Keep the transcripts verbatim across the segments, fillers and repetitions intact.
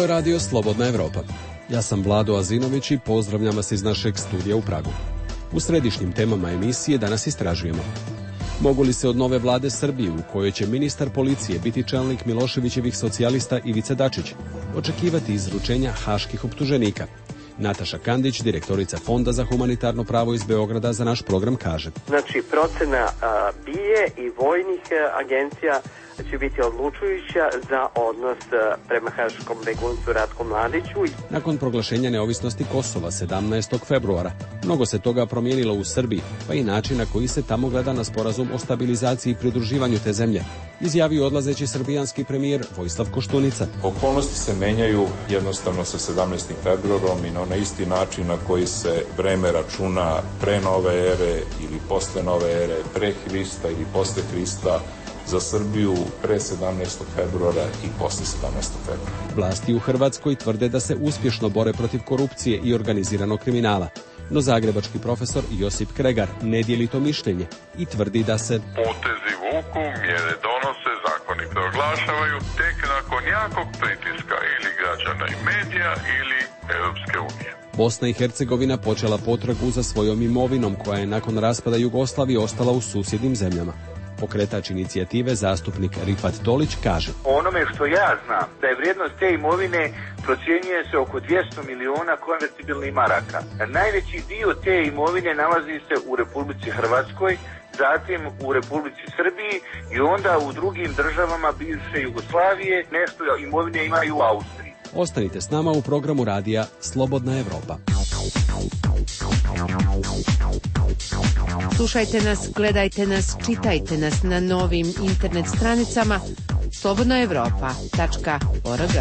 je radio Slobodna Evropa. Ja sam Vlado Azinović i pozdravljam vas iz našeg studija u Pragu. U središnjim temama emisije danas istražujemo: mogu li se od nove vlade Srbije, u kojoj će ministar policije biti čelnik Miloševićevih socijalista Ivica Dačić, očekivati izručenja haških optuženika? Nataša Kandić, direktorica Fonda za humanitarno pravo iz Beograda, za naš program kaže: Znači, procena a, B I E i vojnih a, agencija će biti odlučujuća za odnos a, prema haškom beguncu Ratku Mladiću. Nakon proglašenja neovisnosti Kosova sedamnaestog februara, mnogo se toga promijenilo u Srbiji, pa i način na koji se tamo gleda na sporazum o stabilizaciji i pridruživanju te zemlje, izjavio odlazeći srbijanski premijer Vojislav Koštunica. Okolnosti se menjaju jednostavno sa sedamnaestim februarom i na onaj isti način na koji se vreme računa pre nove ere ili posle nove ere, pre Hrista ili posle Hrista, za Srbiju pre sedamnaestog februara i posle sedamnaestog februara. Vlasti u Hrvatskoj tvrde da se uspješno bore protiv korupcije i organiziranog kriminala, no zagrebački profesor Josip Kregar ne dijeli to mišljenje i tvrdi da se potezi vuku, mjere donose, zakoni proglašavaju tek nakon jakog pritiska ili građana i medija ili Europske unije. Bosna i Hercegovina počela potragu za svojom imovinom koja je nakon raspada Jugoslavije ostala u susjednim zemljama. Pokretač inicijative, zastupnik Rifat Tolić, kaže: onome što ja znam, da je vrijednost te imovine procjenjuje se oko dvjesto miliona konvertibilnih maraka. Najveći dio te imovine nalazi se u Republici Hrvatskoj, zatim u Republici Srbiji i onda u drugim državama bivše Jugoslavije. Nešto imovine imaju u Austriji. Ostanite s nama u programu radija Slobodna Evropa. Slušajte nas, gledajte nas, čitajte nas na novim internet stranicama slobodna evropa tačka org.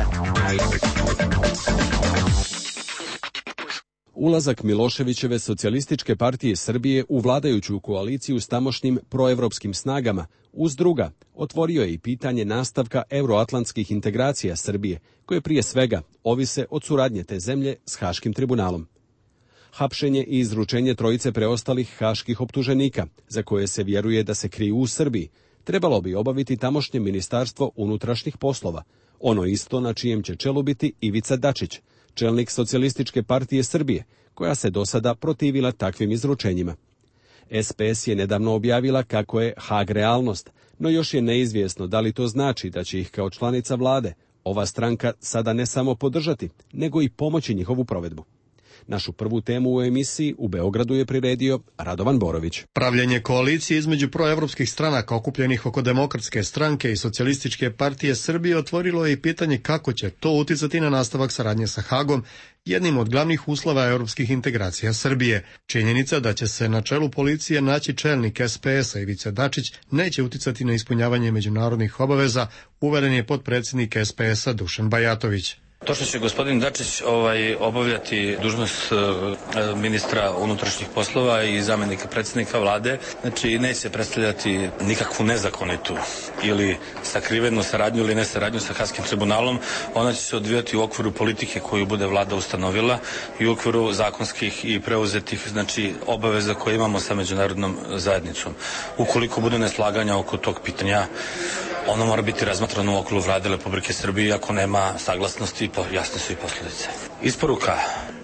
Ulazak Miloševićeve socijalističke partije Srbije u vladajuću koaliciju s tamošnjim proevropskim snagama, uz druga, otvorio je i pitanje nastavka euroatlantskih integracija Srbije, koje prije svega ovise od suradnje te zemlje s Haškim tribunalom. Hapšenje i izručenje trojice preostalih haških optuženika, za koje se vjeruje da se kriju u Srbiji, trebalo bi obaviti tamošnje Ministarstvo unutrašnjih poslova, ono isto na čijem će čelu biti Ivica Dačić, čelnik Socijalističke partije Srbije, koja se do sada protivila takvim izručenjima. S P S je nedavno objavila kako je Hag realnost, no još je neizvjesno da li to znači da će ih kao članica vlade ova stranka sada ne samo podržati, nego i pomoći njihovu provedbu. Našu prvu temu u emisiji u Beogradu je priredio Radovan Borović. Pravljenje koalicije između proevropskih stranaka okupljenih oko Demokratske stranke i Socijalističke partije Srbije otvorilo je i pitanje kako će to uticati na nastavak saradnje sa Hagom, jednim od glavnih uslova europskih integracija Srbije. Činjenica da će se na čelu policije naći čelnik S P S-a Ivica Dačić neće uticati na ispunjavanje međunarodnih obaveza, uveren je potpredsjednik S P S-a Dušan Bajatović. To što će gospodin Dačić ovaj, obavljati dužnost uh, ministra unutrašnjih poslova i zamjenika predsjednika vlade, znači neće predstavljati nikakvu nezakonitu ili sakrivenu saradnju ili nesaradnju sa Haškim tribunalom. Ona će se odvijati u okviru politike koju bude vlada ustanovila i u okviru zakonskih i preuzetih znači obaveza koje imamo sa međunarodnom zajednicom. Ukoliko bude neslaganja oko tog pitanja, ono mora biti razmatrano u okviru vlade Republike Srbije, ako nema saglasnosti, jasne su i posljedice. Isporuka,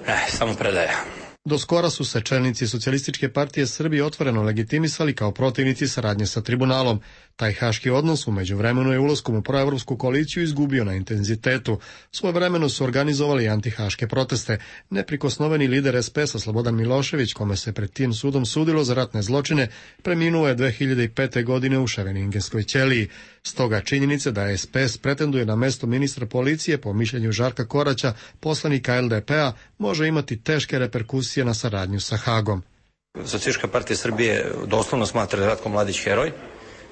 ne, samo predaja. Do skora su se čelnici Socijalističke partije Srbije otvoreno legitimisali kao protivnici saradnje sa tribunalom. Taj haški odnos u međuvremenu je ulaskom u proevropsku koaliciju izgubio na intenzitetu. Svojevremeno su organizovali antihaške proteste. Neprikosnoveni lider S P S-a Slobodan Milošević, kome se pred tim sudom sudilo za ratne zločine, preminuo je dve hiljade pete. godine u Ševeningenskoj ćeliji. Stoga činjenica da S P S pretenduje na mesto ministra policije, po mišljenju Žarka Koraća, poslanika L D P-a, može imati teške reperkusije na saradnju sa Hagom. Socijalistička partija Srbije doslovno smatra da je Ratko Mladić heroj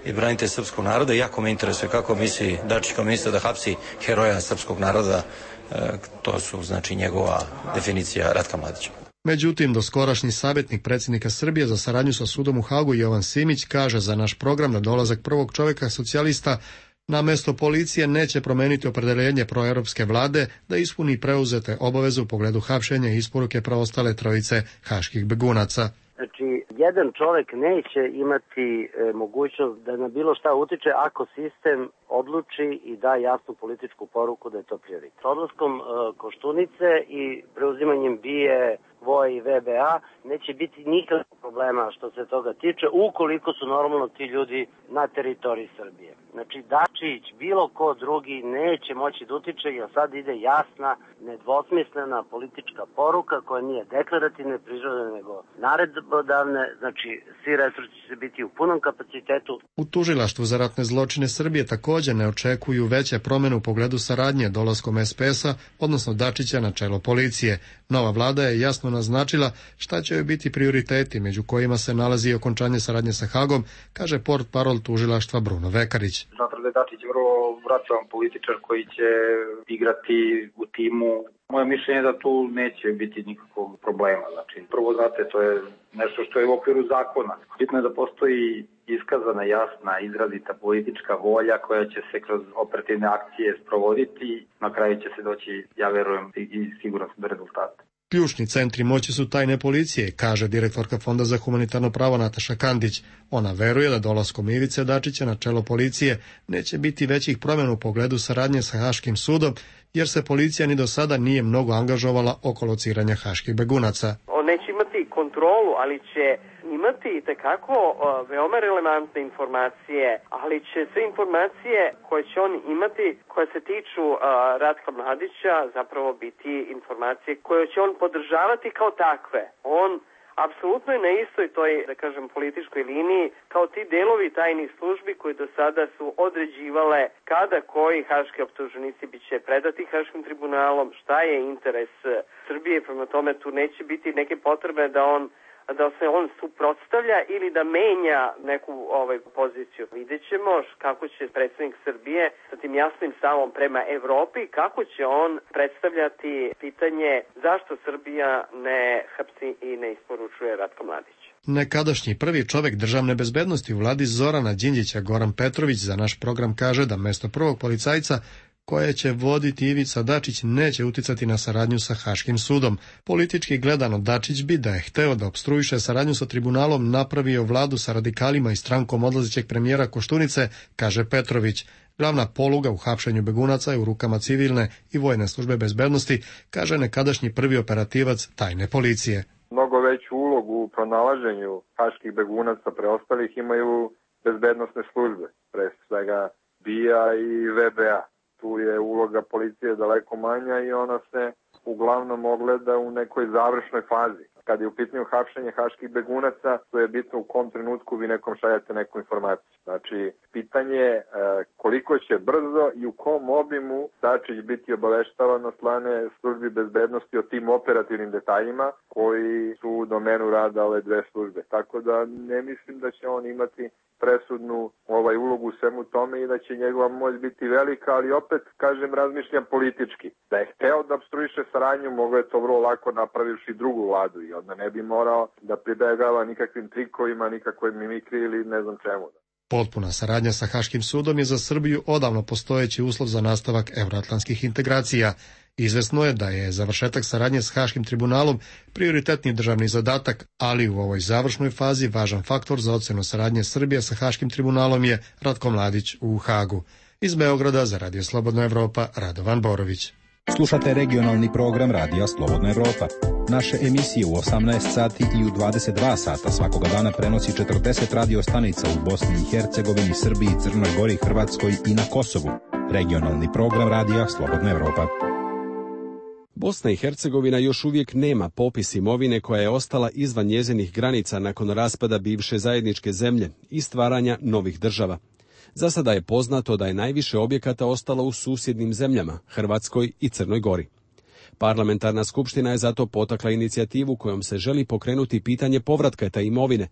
i branitelj srpskog naroda. Jako me interesuje kako misli Dačić kao ministar da hapsi heroja srpskog naroda. E, to su znači njegova definicija Ratka Mladića. Međutim, doskorašnji savjetnik predsjednika Srbije za saradnju sa sudom u Hagu Jovan Simić kaže za naš program da dolazak prvog čovjeka socijalista na mesto policije neće promeniti opredeljenje proeuropske vlade da ispuni preuzete obaveze u pogledu hapšenja i isporuke preostale trojice haških begunaca. Znači, jedan čovjek neće imati e, mogućnost da na bilo šta utiče ako sistem odluči i da jasnu političku poruku da je to prioritet. Odlaskom e, Koštunice i preuzimanjem BIA, V O A i V B A neće biti nikakvog problema što se toga tiče, ukoliko su normalno ti ljudi na teritoriji Srbije. Znači Dačić, bilo ko drugi neće moći da utiče, jer sad ide jasna, nedvosmislena politička poruka koja nije deklarativne prirode nego naredbodavne, znači svi resursi će biti u punom kapacitetu. U tužilaštvu za ratne zločine Srbije također ne očekuju veće promjene u pogledu saradnje dolaskom S P S-a, odnosno Dačića na čelo policije. Nova vlada je jasno naznačila šta će joj biti prioriteti, među kojima se nalazi okončanje saradnje sa Hagom, kaže portparol tužilaštva Bruno Vekarić. Smatram da je Dačić vrlo vraćavan političar koji će igrati u timu. Moje mišljenje je da tu neće biti nikakvog problema. Znači, prvo, znate, to je nešto što je u okviru zakona. Bitno je da postoji iskazana, jasna, izrazita politička volja koja će se kroz operativne akcije sprovoditi. Na kraju će se doći, ja verujem, i sigurno do rezultata. Ključni centri moći su tajne policije, kaže direktorka Fonda za humanitarno pravo Nataša Kandić. Ona veruje da dolaskom Ivice Dačića na čelo policije neće biti većih promjena u pogledu saradnje sa Haškim sudom, jer se policija ni do sada nije mnogo angažovala oko lociranja haških begunaca. On neće imati kontrolu, ali će imati itekako uh, veoma relevantne informacije, ali će sve informacije koje će on imati, koje se tiču uh, Ratka Mladića, zapravo biti informacije koje će on podržavati kao takve. On apsolutno je na istoj toj, da kažem, političkoj liniji kao ti delovi tajnih službi koji do sada su određivale kada koji haški optuženici biće predati haškim tribunalom, šta je interes Srbije, prema tome tu neće biti neke potrebe da on da se on suprotstavlja ili da menja neku ovaj poziciju. Vidjet ćemo kako će predsjednik Srbije sa tim jasnim stavom prema Evropi, kako će on predstavljati pitanje zašto Srbija ne hapsi i ne isporučuje Ratka Mladića. Nekadašnji prvi čovjek državne bezbednosti u vladi Zorana Đinđića, Goran Petrović, za naš program kaže da mesto prvog policajca koje će voditi Ivica Dačić neće uticati na saradnju sa Haškim sudom. Politički gledano, Dačić bi, da je hteo da opstruiše saradnju sa tribunalom, napravio vladu sa radikalima i strankom odlazećeg premijera Koštunice, kaže Petrović. Glavna poluga u hapšenju begunaca je u rukama civilne i vojne službe bezbednosti, kaže nekadašnji prvi operativac tajne policije. Mnogo veću ulogu u pronalaženju haških begunaca preostalih imaju bezbednosne službe, pre svega B I A i V B A. Tu je uloga policije daleko manja i ona se uglavnom ogleda u nekoj završnoj fazi. Kad je u pitanju hapšenje haških begunaca, to je bitno u kom trenutku vi nekom šaljate neku informaciju. Znači, pitanje je koliko će brzo i u kom obimu Dačić biti obaveštavan od strane službi bezbednosti o tim operativnim detaljima koji su u domenu rada ove dve službe. Tako da ne mislim da će on imati presudnu ovaj ulogu u svemu tome i da će njegova moć biti velika, ali opet, kažem, razmišljam politički. Da je hteo da opstruiše saradnju, mogo je to vrlo lako napravivši drugu vladu i onda ne bi morao da pribegava nikakvim trikovima, nikakvoj mimikri ili ne znam čemu. Potpuna saradnja sa Haškim sudom je za Srbiju odavno postojeći uslov za nastavak evroatlantskih integracija. Izvesno je da je završetak saradnje s Haškim tribunalom prioritetni državni zadatak, ali u ovoj završnoj fazi važan faktor za ocenu saradnje Srbije sa Haškim tribunalom je Ratko Mladić u Hagu. Iz Beograda za Radio Slobodna Evropa, Radovan Borović. Slušate regionalni program Radija Slobodna Evropa. Naše emisije u osamnaest sati i u dvadeset dva sata svakoga dana prenosi četrdeset radio stanica u Bosni i Hercegovini, Srbiji, Crnoj Gori, Hrvatskoj i na Kosovu. Regionalni program Radija Slobodna Evropa. Bosna i Hercegovina još uvijek nema popis imovine koja je ostala izvan njezinih granica nakon raspada bivše zajedničke zemlje i stvaranja novih država. Za sada je poznato da je najviše objekata ostalo u susjednim zemljama, Hrvatskoj i Crnoj Gori. Parlamentarna skupština je zato potakla inicijativu kojom se želi pokrenuti pitanje povratka te imovine,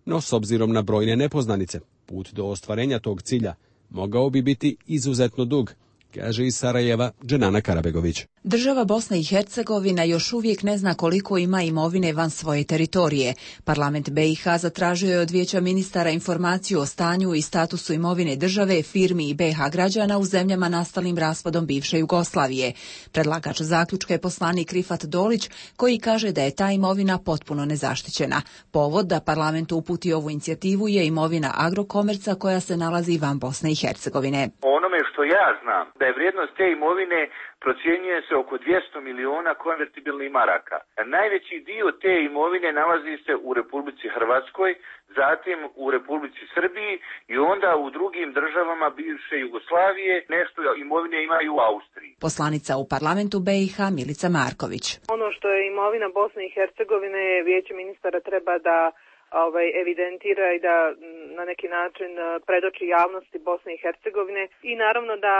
no s obzirom na brojne nepoznanice, put do ostvarenja tog cilja mogao bi biti izuzetno dug, kaže iz Sarajeva Dženana Karabegović. Država Bosna i Hercegovina još uvijek ne zna koliko ima imovine van svoje teritorije. Parlament B i H zatražio je od Vijeća ministara informaciju o stanju i statusu imovine države, firmi i B i H građana u zemljama nastalim raspadom bivše Jugoslavije. Predlagač zaključka je poslanik Rifat Dolić, koji kaže da je ta imovina potpuno nezaštićena. Povod da parlament uputi ovu inicijativu je imovina Agrokomerca koja se nalazi van Bosne i Hercegovine. Onome što ja znam, da je vrijednost te imovine procjenjuje se oko dvjesto miliona konvertibilnih maraka. Najveći dio te imovine nalazi se u Republici Hrvatskoj, zatim u Republici Srbiji i onda u drugim državama bivše Jugoslavije. Nešto imovine imaju u Austriji. Poslanica u parlamentu B i H Milica Marković. Ono što je imovina Bosne i Hercegovine, Vijeće ministara treba da ovaj, evidentira i da na neki način predoči javnosti Bosne i Hercegovine i naravno da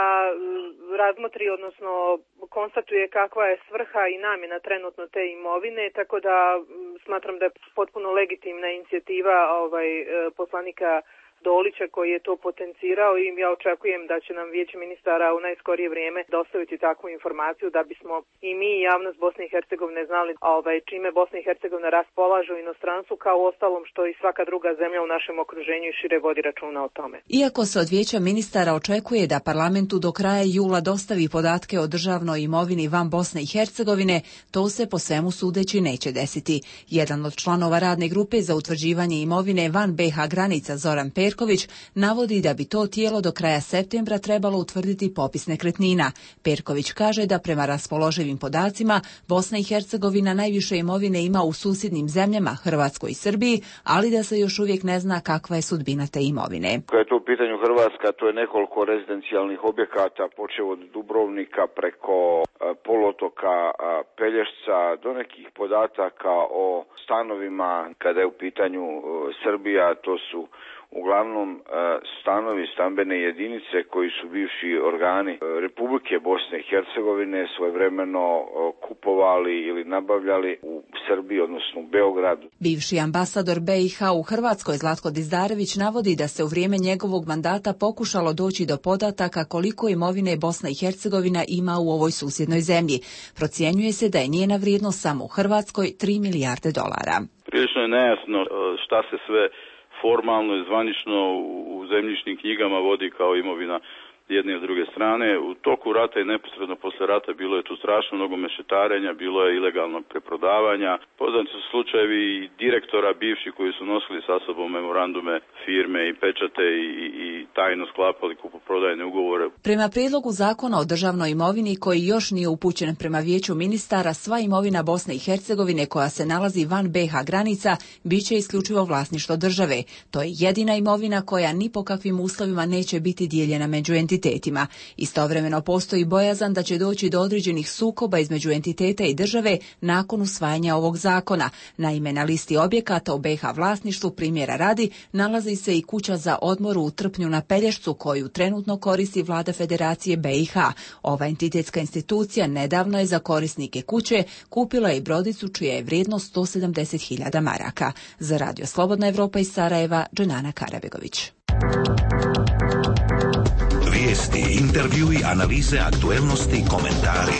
razmotri, odnosno konstatuje kakva je svrha i namjena trenutno te imovine, tako da smatram da je potpuno legitimna inicijativa ovaj, poslanika Dolića koji je to potencirao i ja očekujem da će nam Vijeće ministara u najskorije vrijeme dostaviti takvu informaciju da bismo i mi i javnost Bosne i Hercegovine znali ovaj, čime Bosna i Hercegovina raspolaže u inostranstvu, kao ostalom što i svaka druga zemlja u našem okruženju i šire vodi računa o tome. Iako se od Vijeća ministara očekuje da parlamentu do kraja jula dostavi podatke o državnoj imovini van Bosne i Hercegovine, to se po svemu sudeći neće desiti. Jedan od članova radne grupe za utvrđivanje imovine van B i H granica, Zoran Perković, navodi da bi to tijelo do kraja septembra trebalo utvrditi popis nekretnina. Perković kaže da prema raspoloživim podacima Bosna i Hercegovina najviše imovine ima u susjednim zemljama, Hrvatskoj i Srbiji, ali da se još uvijek ne zna kakva je sudbina te imovine. Kada je to u pitanju Hrvatska, to je nekoliko rezidencijalnih objekata, počev od Dubrovnika preko poluotoka Pelješca do nekih podataka o stanovima. Kada je u pitanju Srbija, to su uglavnom stanovi, stambene jedinice koji su bivši organi Republike Bosne i Hercegovine svojevremeno kupovali ili nabavljali u Srbiji, odnosno u Beogradu. Bivši ambasador B i H u Hrvatskoj Zlatko Dizdarević navodi da se u vrijeme njegovog mandata pokušalo doći do podataka koliko imovine Bosna i Hercegovina ima u ovoj susjednoj zemlji. Procjenjuje se da je njena vrijednost samo u Hrvatskoj tri milijarde dolara. Prilično je nejasno šta se sve formalno i zvanično u zemljišnim knjigama vodi kao imovina jedne i druge strane. U toku rata i neposredno posle rata bilo je tu strašno mnogo mešetarenja, bilo je ilegalnog preprodavanja. Poznati su slučajevi i direktora bivši koji su nosili sa sobom memorandume firme i pečate i, i tajno sklapali kupoprodajne ugovore. Prema prijedlogu zakona o državnoj imovini koji još nije upućen prema Vijeću ministara, sva imovina Bosne i Hercegovine koja se nalazi van B i H granica biće isključivo vlasništvo države. To je jedina imovina koja ni po kakvim uslovima neće biti dijeljena među entitetima. Istovremeno postoji bojazan da će doći do određenih sukoba između entiteta i države nakon usvajanja ovog zakona. Naime, na listi objekata u B i H vlasništvu, primjera radi, nalazi se i kuća za odmor u Trpnju na Pelješcu koju trenutno koristi vlada Federacije B i H. Ova entitetska institucija nedavno je za korisnike kuće kupila i brodicu čija je vrijednost sto sedamdeset hiljada maraka. Za Radio Slobodna Evropa iz Sarajeva, Dženana Karabegović. Vijesti, intervjui, analize, aktuelnosti, komentari.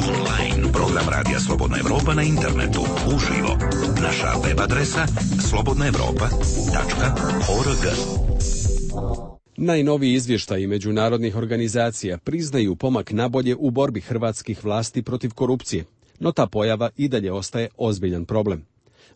Online. Program Radija Slobodna Evropa na internetu. Uživo. Naša web adresa slobodna evropa tačka org. Najnoviji izvještaji međunarodnih organizacija priznaju pomak nabolje u borbi hrvatskih vlasti protiv korupcije, no ta pojava i dalje ostaje ozbiljan problem.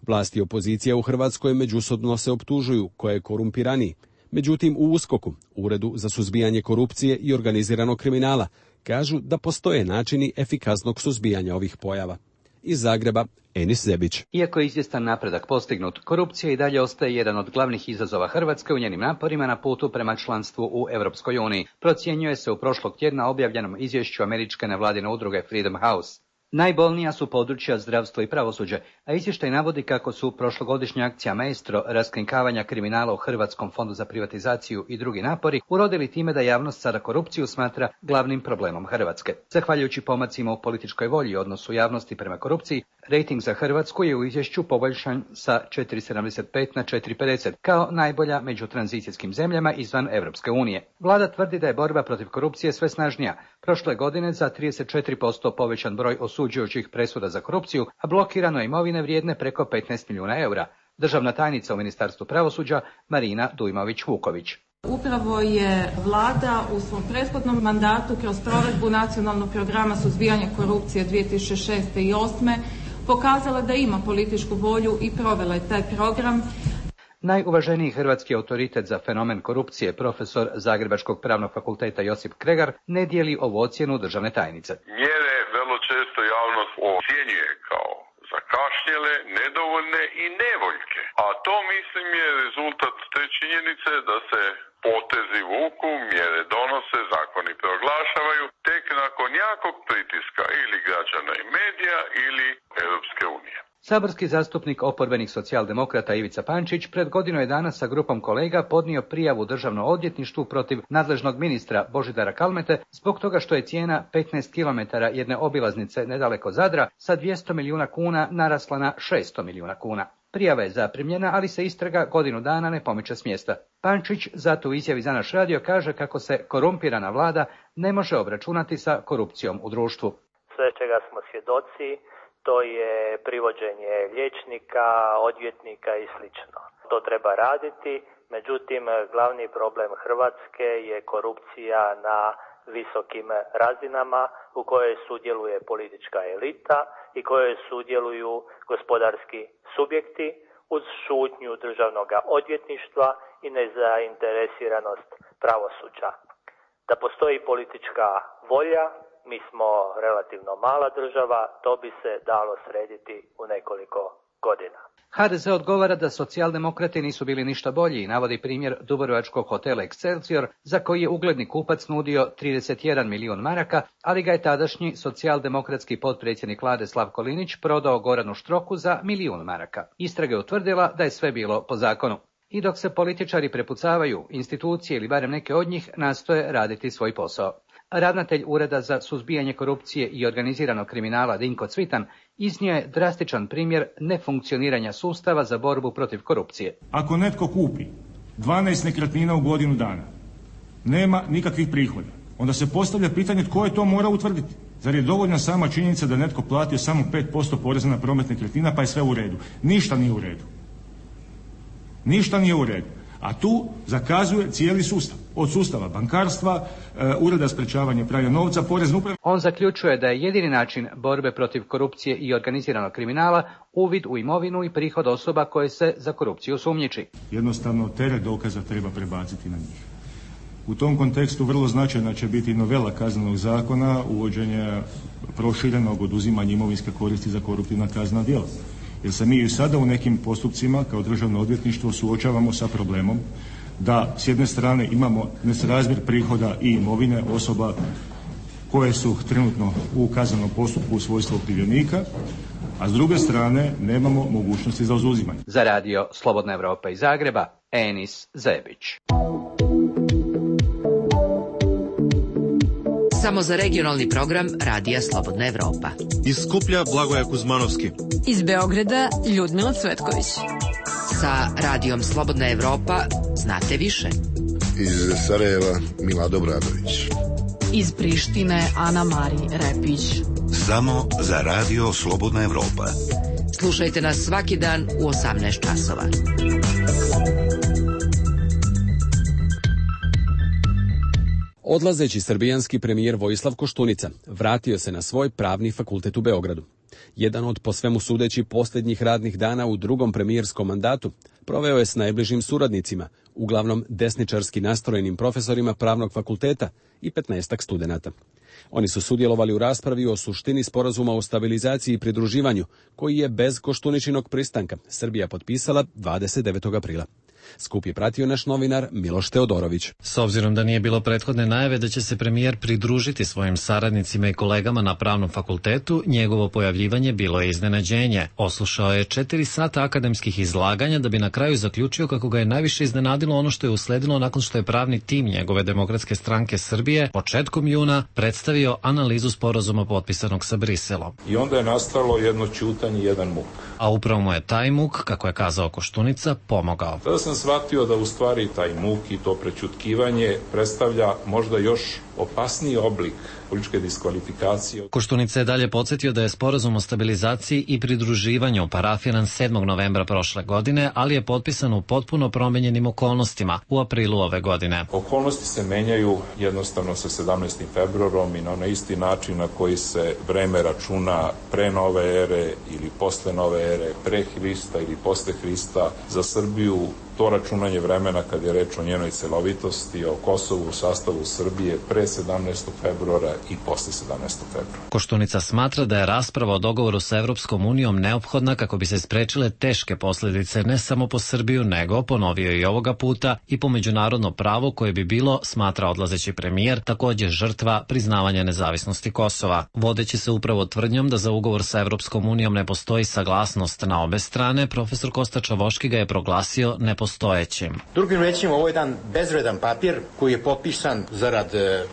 Vlasti i opozicija u Hrvatskoj međusobno se optužuju ko je korumpiraniji. Međutim, u USKOK-u, Uredu za suzbijanje korupcije i organiziranog kriminala, kažu da postoje načini efikasnog suzbijanja ovih pojava. Iz Zagreba, Enis Zebić. Iako je izvjestan napredak postignut, korupcija i dalje ostaje jedan od glavnih izazova Hrvatske u njenim naporima na putu prema članstvu u Europskoj uniji. Procjenjuje se u prošlog tjedna objavljenom izvješću američke nevladine udruge Freedom House. Najbolnija su područja zdravstvo i pravosuđe, a izvještaj navodi kako su prošlogodišnja akcija Maestro raskrinkavanja kriminala u Hrvatskom fondu za privatizaciju i drugi napori urodili time da javnost sada korupciju smatra glavnim problemom Hrvatske. Zahvaljujući pomacima u političkoj volji i odnosu javnosti prema korupciji, rejting za Hrvatsku je u izvješću poboljšan sa četiri zarez sedamdeset pet na četiri zarez pedeset kao najbolja među tranzicijskim zemljama izvan Europske unije. Vlada tvrdi da je borba protiv korupcije sve snažnija. Prošle godine za trideset četiri posto povećan broj osuđujućih presuda za korupciju, a blokirano imovine vrijedne preko petnaest milijuna eura. Državna tajnica u Ministarstvu pravosuđa Marina Dujmović-Vuković. Upravo je vlada u svom prethodnom mandatu kroz provedbu nacionalnog programa suzbijanja korupcije dvije tisuće šeste i osme pokazala da ima političku volju i provela je taj program. Najuvaženiji hrvatski autoritet za fenomen korupcije, profesor Zagrebačkog pravnog fakulteta Josip Kregar, ne dijeli ovu ocjenu državne tajnice. Mjere vrlo često javnost ocjenjuje kao zakašnjele, nedovoljne i nevoljke. A to, mislim, je rezultat te činjenice da se potezi vuku, mjere donose, zakoni proglašavaju tek nakon jakog pritiska ili građana i medija ili Europske unije. Saborski zastupnik oporbenih socijaldemokrata Ivica Pančić pred godinu je dana sa grupom kolega podnio prijavu Državnom odvjetništvu protiv nadležnog ministra Božidara Kalmete zbog toga što je cijena petnaest kilometara jedne obilaznice nedaleko Zadra sa dvjesto milijuna kuna narasla na šesto milijuna kuna. Prijava je zaprimljena, ali se istraga godinu dana ne pomiče s mjesta. Pančić zato u izjavi za naš radio kaže kako se korumpirana vlada ne može obračunati sa korupcijom u društvu. Sve čega smo svjedoci, to je privođenje liječnika, odvjetnika i slično. To treba raditi, međutim glavni problem Hrvatske je korupcija na visokim razinama u kojoj sudjeluje politička elita i kojoj sudjeluju gospodarski subjekti uz šutnju državnog odvjetništva i nezainteresiranost pravosuđa. Da postoji politička volja, mi smo relativno mala država, to bi se dalo srediti u nekoliko godina. ha de ze odgovara da socijaldemokrati nisu bili ništa bolji i navodi primjer dubrovačkog hotela Excelsior za koji je ugledni kupac nudio trideset jedan milijun maraka, ali ga je tadašnji socijaldemokratski potpredsjednik vlade Slavko Linić prodao Goranu Štroku za milijun maraka. Istraga je utvrdila da je sve bilo po zakonu. I dok se političari prepucavaju, institucije ili barem neke od njih nastoje raditi svoj posao. Ravnatelj Ureda za suzbijanje korupcije i organiziranog kriminala Dinko Cvitan iznio je drastičan primjer nefunkcioniranja sustava za borbu protiv korupcije. Ako netko kupi dvanaest nekretnina u godinu dana, nema nikakvih prihoda, onda se postavlja pitanje tko je to mora utvrditi. Zar je dovoljna sama činjenica da netko platio samo pet posto poreza na promet nekretnina pa je sve u redu? Ništa nije u redu. Ništa nije u redu. A tu zakazuje cijeli sustav. Od sustava bankarstva, e, Ureda sprečavanja pranja novca, porezne uprave. On zaključuje da je jedini način borbe protiv korupcije i organiziranog kriminala uvid u imovinu i prihod osoba koje se za korupciju sumnjiči. Jednostavno teret dokaza treba prebaciti na njih. U tom kontekstu vrlo značajna će biti novela kaznenog zakona, uvođenje proširenog oduzimanja imovinske koristi za koruptivna kaznena djela. Jer se mi i sada u nekim postupcima kao državno odvjetništvo suočavamo sa problemom da s jedne strane imamo nesrazmjer prihoda i imovine osoba koje su trenutno u kaznenom postupku u svojstvu okrivljenika, a s druge strane nemamo mogućnosti za oduzimanje. Za radio Slobodna Evropa iz Zagreba, Enis Zebić. Samo za regionalni program Radija Slobodna Evropa. Iz Skuplja Blagoja Kuzmanovski. Iz Beograda Ljudmila Cvetković. Sa Radijom Slobodna Evropa znate više. Iz Sarajeva Milado Bradović. Iz Prištine Ana Mari Repić. Samo za Radio Slobodna Evropa. Slušajte nas svaki dan u osamnaest časova. Odlazeći srbijanski premijer Vojislav Koštunica vratio se na svoj pravni fakultet u Beogradu. Jedan od po svemu sudeći posljednjih radnih dana u drugom premijerskom mandatu proveo je s najbližim suradnicima, uglavnom desničarski nastrojenim profesorima pravnog fakulteta i petnaestak studenata. Oni su sudjelovali u raspravi o suštini sporazuma o stabilizaciji i pridruživanju, koji je bez Koštuničinog pristanka Srbija potpisala dvadeset devetog aprila. Skup je pratio naš novinar Miloš Teodorović. S obzirom da nije bilo prethodne najave da će se premijer pridružiti svojim saradnicima i kolegama na pravnom fakultetu, njegovo pojavljivanje bilo je iznenađenje. Oslušao je četiri sata akademskih izlaganja da bi na kraju zaključio kako ga je najviše iznenadilo ono što je usledilo nakon što je pravni tim njegove Demokratske stranke Srbije početkom juna predstavio analizu sporazuma potpisanog sa Briselom. I onda je nastalo jedno ćutanje i jedan muk. A upravo mu je taj muk, kako je kazao Koštunica, pomogao. Tada sam shvatio da u stvari taj muk i to prećutkivanje predstavlja možda još opasniji oblik političke diskvalifikacije. Koštunica je dalje podsjetio da je sporazum o stabilizaciji i pridruživanju parafiran sedmog novembra prošle godine, ali je potpisan u potpuno promenjenim okolnostima u aprilu ove godine. Okolnosti se menjaju jednostavno sa sedamnaestim februarom i na onaj isti način na koji se vreme računa pre nove ere ili posle nove ere, pre Hrista ili posle Hrista. Za Srbiju to računanje vremena kad je reč o njenoj celovitosti, o Kosovu u sastavu Srbije pre sedamnaestog februara i posle sedamnaestog februara. Koštunica smatra da je rasprava o dogovoru sa Evropskom unijom neophodna kako bi se sprečile teške posljedice ne samo po Srbiju, nego, ponovio i ovoga puta, i po međunarodno pravo koje bi bilo, smatra odlazeći premijer, također žrtva priznavanja nezavisnosti Kosova. Vodeći se upravo tvrdnjom da za ugovor sa Evropskom unijom ne postoji saglasnost na obe strane, profesor Kosta Čavoški ga je proglasio nepostojećim. Drugim rečima, ovo je jedan bezvredan papir koji je potpisan zarad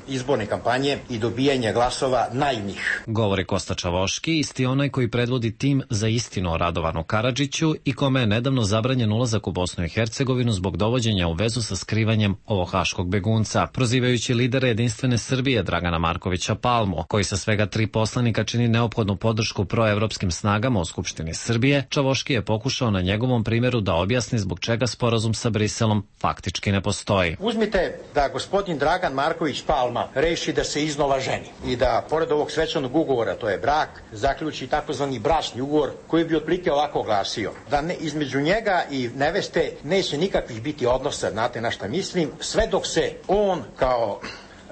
izborne kampanje i dobijanja glasova naivnih. Govori Kosta Čavoški, isti onaj koji predvodi tim za istinu o Radovanu Karadžiću i kome je nedavno zabranjen ulazak u Bosnu i Hercegovinu zbog dovođenja u vezu sa skrivanjem ovog haškog begunca. Prozivajući lidera Jedinstvene Srbije Dragana Markovića Palmu, koji sa svega tri poslanika čini neophodnu podršku proevropskim snagama u Skupštini Srbije, Čavoški je pokušao na njegovom primjeru da objasni zbog čega sporazum sa Briselom faktički ne postoji. Uzmite da gospodin Dragan Marković Palma reši da se iznova ženi i da pored ovog svečanog ugovora, to je brak, zaključi takozvani bračni ugovor koji bi otprilike ovako glasio. Da ne, između njega i neveste neće nikakvih biti odnosa, znate na šta mislim, sve dok se on kao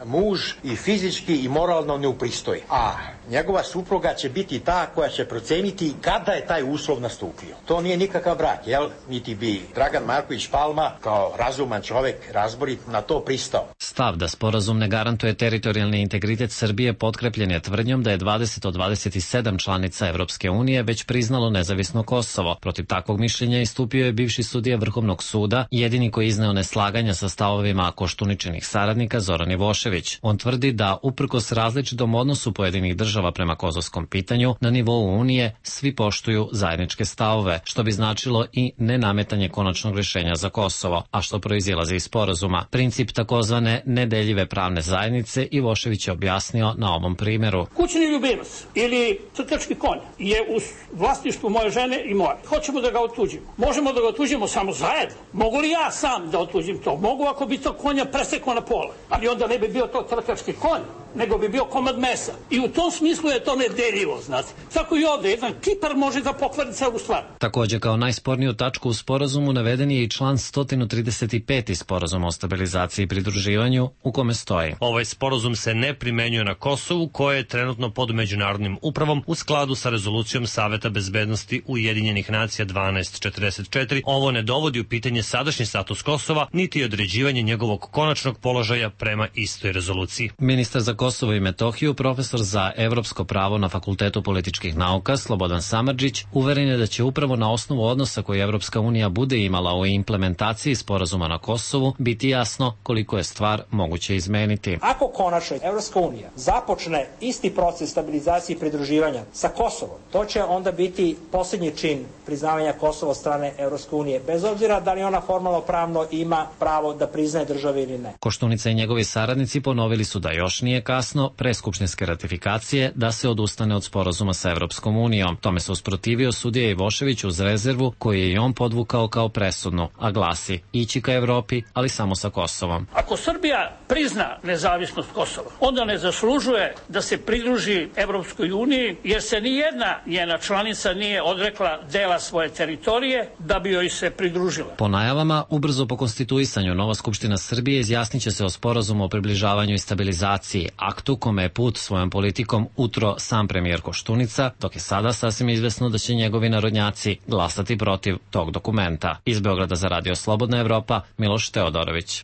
muž i fizički i moralno ne upristoji. A njegova supruga će biti ta koja će proceniti kada je taj uslov nastupio. To nije nikakav brak, jel? Niti bi Dragan Marković Palma kao razuman čovek, razborit, na to pristao. Stav da sporazum ne garantuje teritorijalni integritet Srbije potkrepljen je tvrdnjom da je dvadeset od dvadeset sedam članica Evropske unije već priznalo nezavisno Kosovo. Protiv takvog mišljenja istupio je bivši sudija Vrhovnog suda, jedini koji izneo neslaganja sa stavovima Koštuničinih saradnika Zoran Ivošević. On tvrdi da, uprkos različitom odnosu pojedinih država prema kosovskom pitanju, na nivou Unije svi poštuju zajedničke stavove, što bi značilo i nenametanje konačnog rješenja za Kosovo, a što proizilazi iz sporazuma. Princip takozvane nedeljive pravne zajednice Ivošević je objasnio na ovom primjeru. Kućni ljubimac ili crtački konj je u vlasništvu moje žene i moje. Hoćemo da ga otuđimo. Možemo da ga otuđimo samo zajedno. Mogu li ja sam da otuđim to? Mogu ako bi to konja presekao na pola, ali onda ne bi bio to trkački konj, nego bi bio komad mesa. I u tom smislu je to nedeljivo, znate. Tako i ovdje, jedan kipar može da pokvari celu stvar. Također kao najsporniju tačku u sporazumu naveden je i član sto trideset pet sporazuma o stabilizaciji i pridruživanju, u kome stoji: ovaj sporazum se ne primenjuje na Kosovu, koje je trenutno pod međunarodnim upravom u skladu sa rezolucijom Saveta bezbednosti Ujedinjenih nacija dvanaest četrdeset četiri. Ovo ne dovodi u pitanje sadašnji status Kosova, niti određivanje njegovog konačnog položaja prema istoj rezoluciji. Ministar za Kosovo i Metohiju, profesor za evropsko pravo na Fakultetu političkih nauka Slobodan Samardžić uveren je da će upravo na osnovu odnosa koji Evropska unija bude imala u implementaciji sporazuma na Kosovu biti jasno koliko je stvar moguće izmeniti. Ako konačno Evropska unija započne isti proces stabilizacije i pridruživanja sa Kosovom, to će onda biti posljednji čin priznavanja Kosova od strane Evropske unije, bez obzira da li ona formalno pravno ima pravo da priznaje države ili ne. Koštunica i njegovi saradnici ponovili su da još nije kasno pre skupštinske ratifikacije da se odustane od sporazuma sa Evropskom unijom. Tome se usprotivio sudija Ivošević uz rezervu koju je i on podvukao kao presudnu, a glasi: ići ka Evropi, ali samo sa Kosovom. Ako Srbija prizna nezavisnost Kosova, onda ne zaslužuje da se pridruži Evropskoj uniji, jer se ni jedna njena članica nije odrekla dela svoje teritorije da bi joj se pridružila. Po najavama, ubrzo po konstituisanju, nova Skupština Srbije izjasnit će se o sporazumu o približavanju i stabilizaciji, aktu kome je put svojom politikom utro sam premijer Koštunica, dok je sada sasvim izvesno da će njegovi narodnjaci glasati protiv tog dokumenta. Iz Beograda za Radio Slobodna Evropa, Miloš Teodorović.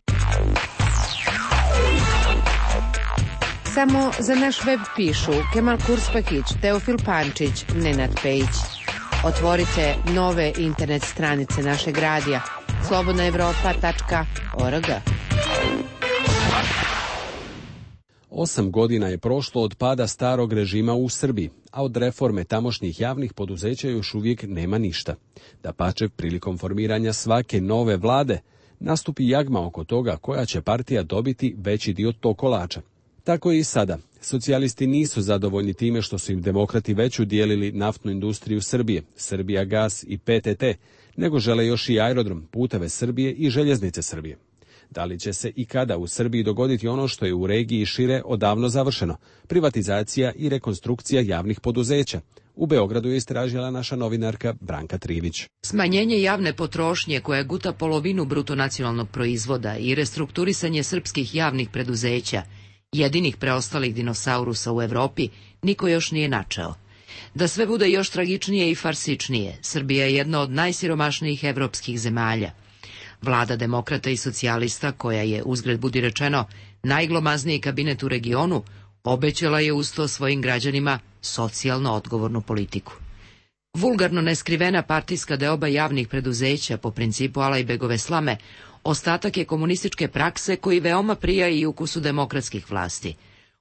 Samo za naš web pišu Kemal Kurspahić, Teofil Pančić, Nenad Pejić. Otvorite nove internet stranice našeg radija slobodna evropa tačka org. Osam godina je prošlo od pada starog režima u Srbiji, a od reforme tamošnjih javnih poduzeća još uvijek nema ništa. Dapače, prilikom formiranja svake nove vlade nastupi jagma oko toga koja će partija dobiti veći dio tog kolača. Tako je i sada. Socijalisti nisu zadovoljni time što su im demokrati već udijelili naftnu industriju Srbije, Srbija gas i P T T, nego žele još i aerodrom, puteve Srbije i željeznice Srbije. Da li će se i kada u Srbiji dogoditi ono što je u regiji šire odavno završeno, privatizacija i rekonstrukcija javnih poduzeća? U Beogradu je istražila naša novinarka Branka Trivić. Smanjenje javne potrošnje koja guta polovinu bruto nacionalnog proizvoda i restrukturisanje srpskih javnih preduzeća, jedinih preostalih dinosaurusa u Evropi, niko još nije načeo. Da sve bude još tragičnije i farsičnije, Srbija je jedna od najsiromašnijih evropskih zemalja. Vlada demokrata i socijalista, koja je, uzgred budi rečeno, najglomazniji kabinet u regionu, obećala je uz to svojim građanima socijalno odgovornu politiku. Vulgarno neskrivena partijska deoba javnih preduzeća po principu Alajbegove slame ostatak je komunističke prakse koji veoma prija i ukusu demokratskih vlasti.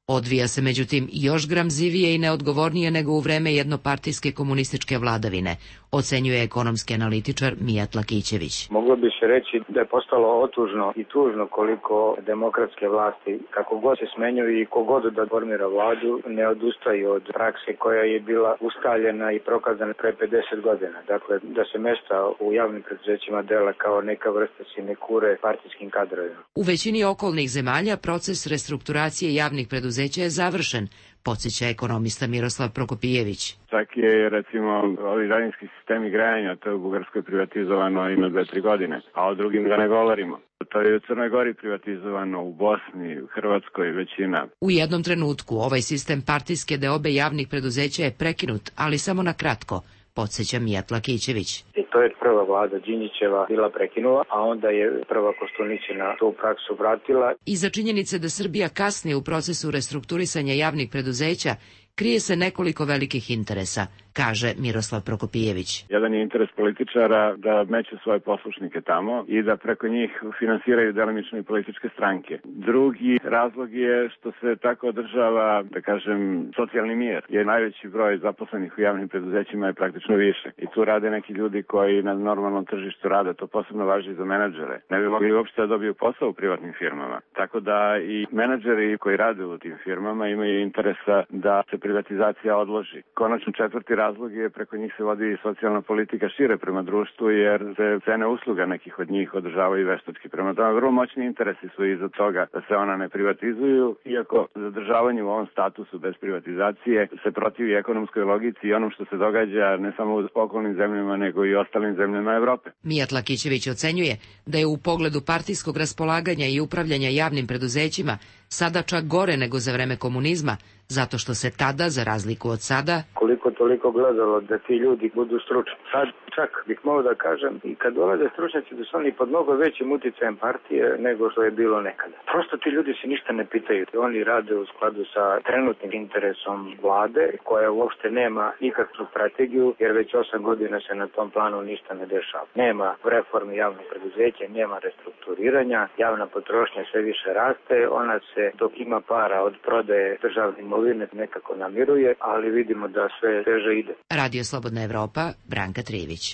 Odvija se međutim još gramzivije i neodgovornije nego u vreme jednopartijske komunističke vladavine, ocenjuje ekonomski analitičar Mijat Lakićević. Moglo bi se reći da je postalo otužno i tužno koliko demokratske vlasti, kako god se smenjuju i kogod da formira vladu, ne odustaju od prakse koja je bila ustaljena i prokazana pre pedeset godina. Dakle, da se mesta u javnim preduzećima dela kao neka vrsta sinekure partijskim kadrovima. U većini okolnih zemalja proces restrukturacije javnih preduzeća je završen, podsjeća ekonomista Miroslav Prokopijević. Čak je, recimo, ovi daljinski sistemi grejanja, to je u Bugarskoj privatizovano ima dve, tri godine, a o drugim da ne govorimo. To je u Crnoj Gori privatizovano, u Bosni, u Hrvatskoj većina. U jednom trenutku ovaj sistem partijske deobe javnih preduzeća je prekinut, ali samo na kratko, podsjeća Mijat Lakićević. I to je prva vlada Đinđićeva bila prekinula, a onda je prva Koštunićina tu praksu vratila. Iza činjenice da Srbija kasni u procesu restrukturisanja javnih preduzeća, krije se nekoliko velikih interesa, kaže Miroslav Prokopijević. Jedan je interes političara da meću svoje poslušnike tamo i da preko njih finansiraju delimično i političke stranke. Drugi razlog je što se tako održava, da kažem, socijalni mir, jer najveći broj zaposlenih u javnim preduzećima je praktično više. I tu rade neki ljudi koji na normalnom tržištu rade, to posebno važi za menadžere. Ne bi mogli uopšte da dobiju posao u privatnim firmama. Tako da i menadžeri koji rade u tim firmama imaju interesa da se privatizacija odloži. Konačno četvrti razlog je preko njih se vodi i socijalna politika šire prema društvu, jer se cene usluga nekih od njih održavaju veštački. Prema tome, vrlo moćni interesi su iza toga da se ona ne privatizuju, iako zadržavanje u ovom statusu bez privatizacije se protivi ekonomskoj logici i onom što se događa ne samo u okolnim zemljama, nego i ostalim zemljama Evrope. Mijat Lakićević ocenjuje da je u pogledu partijskog raspolaganja i upravljanja javnim preduzećima sada čak gore nego za vreme komunizma, zato što se tada, za razliku od sada, koliko toliko gledalo da ti ljudi budu stručni. Sad čak bih mogao da kažem, i kad dolaze stručnjaci da su oni pod mnogo većim uticajem partije nego što je bilo nekada. Prosto ti ljudi se ništa ne pitaju. Oni rade u skladu sa trenutnim interesom vlade, koja uopšte nema nikakvu strategiju, jer već osam godina se na tom planu ništa ne dešava. Nema reformi javnog preduzeća, nema restrukturiranja, javna potrošnja sve više raste, ona se dok ima para od prodaje državne imovine nekako namiruje, ali vidimo da sve teže ide. Radio Slobodna Evropa, Branka Trivić.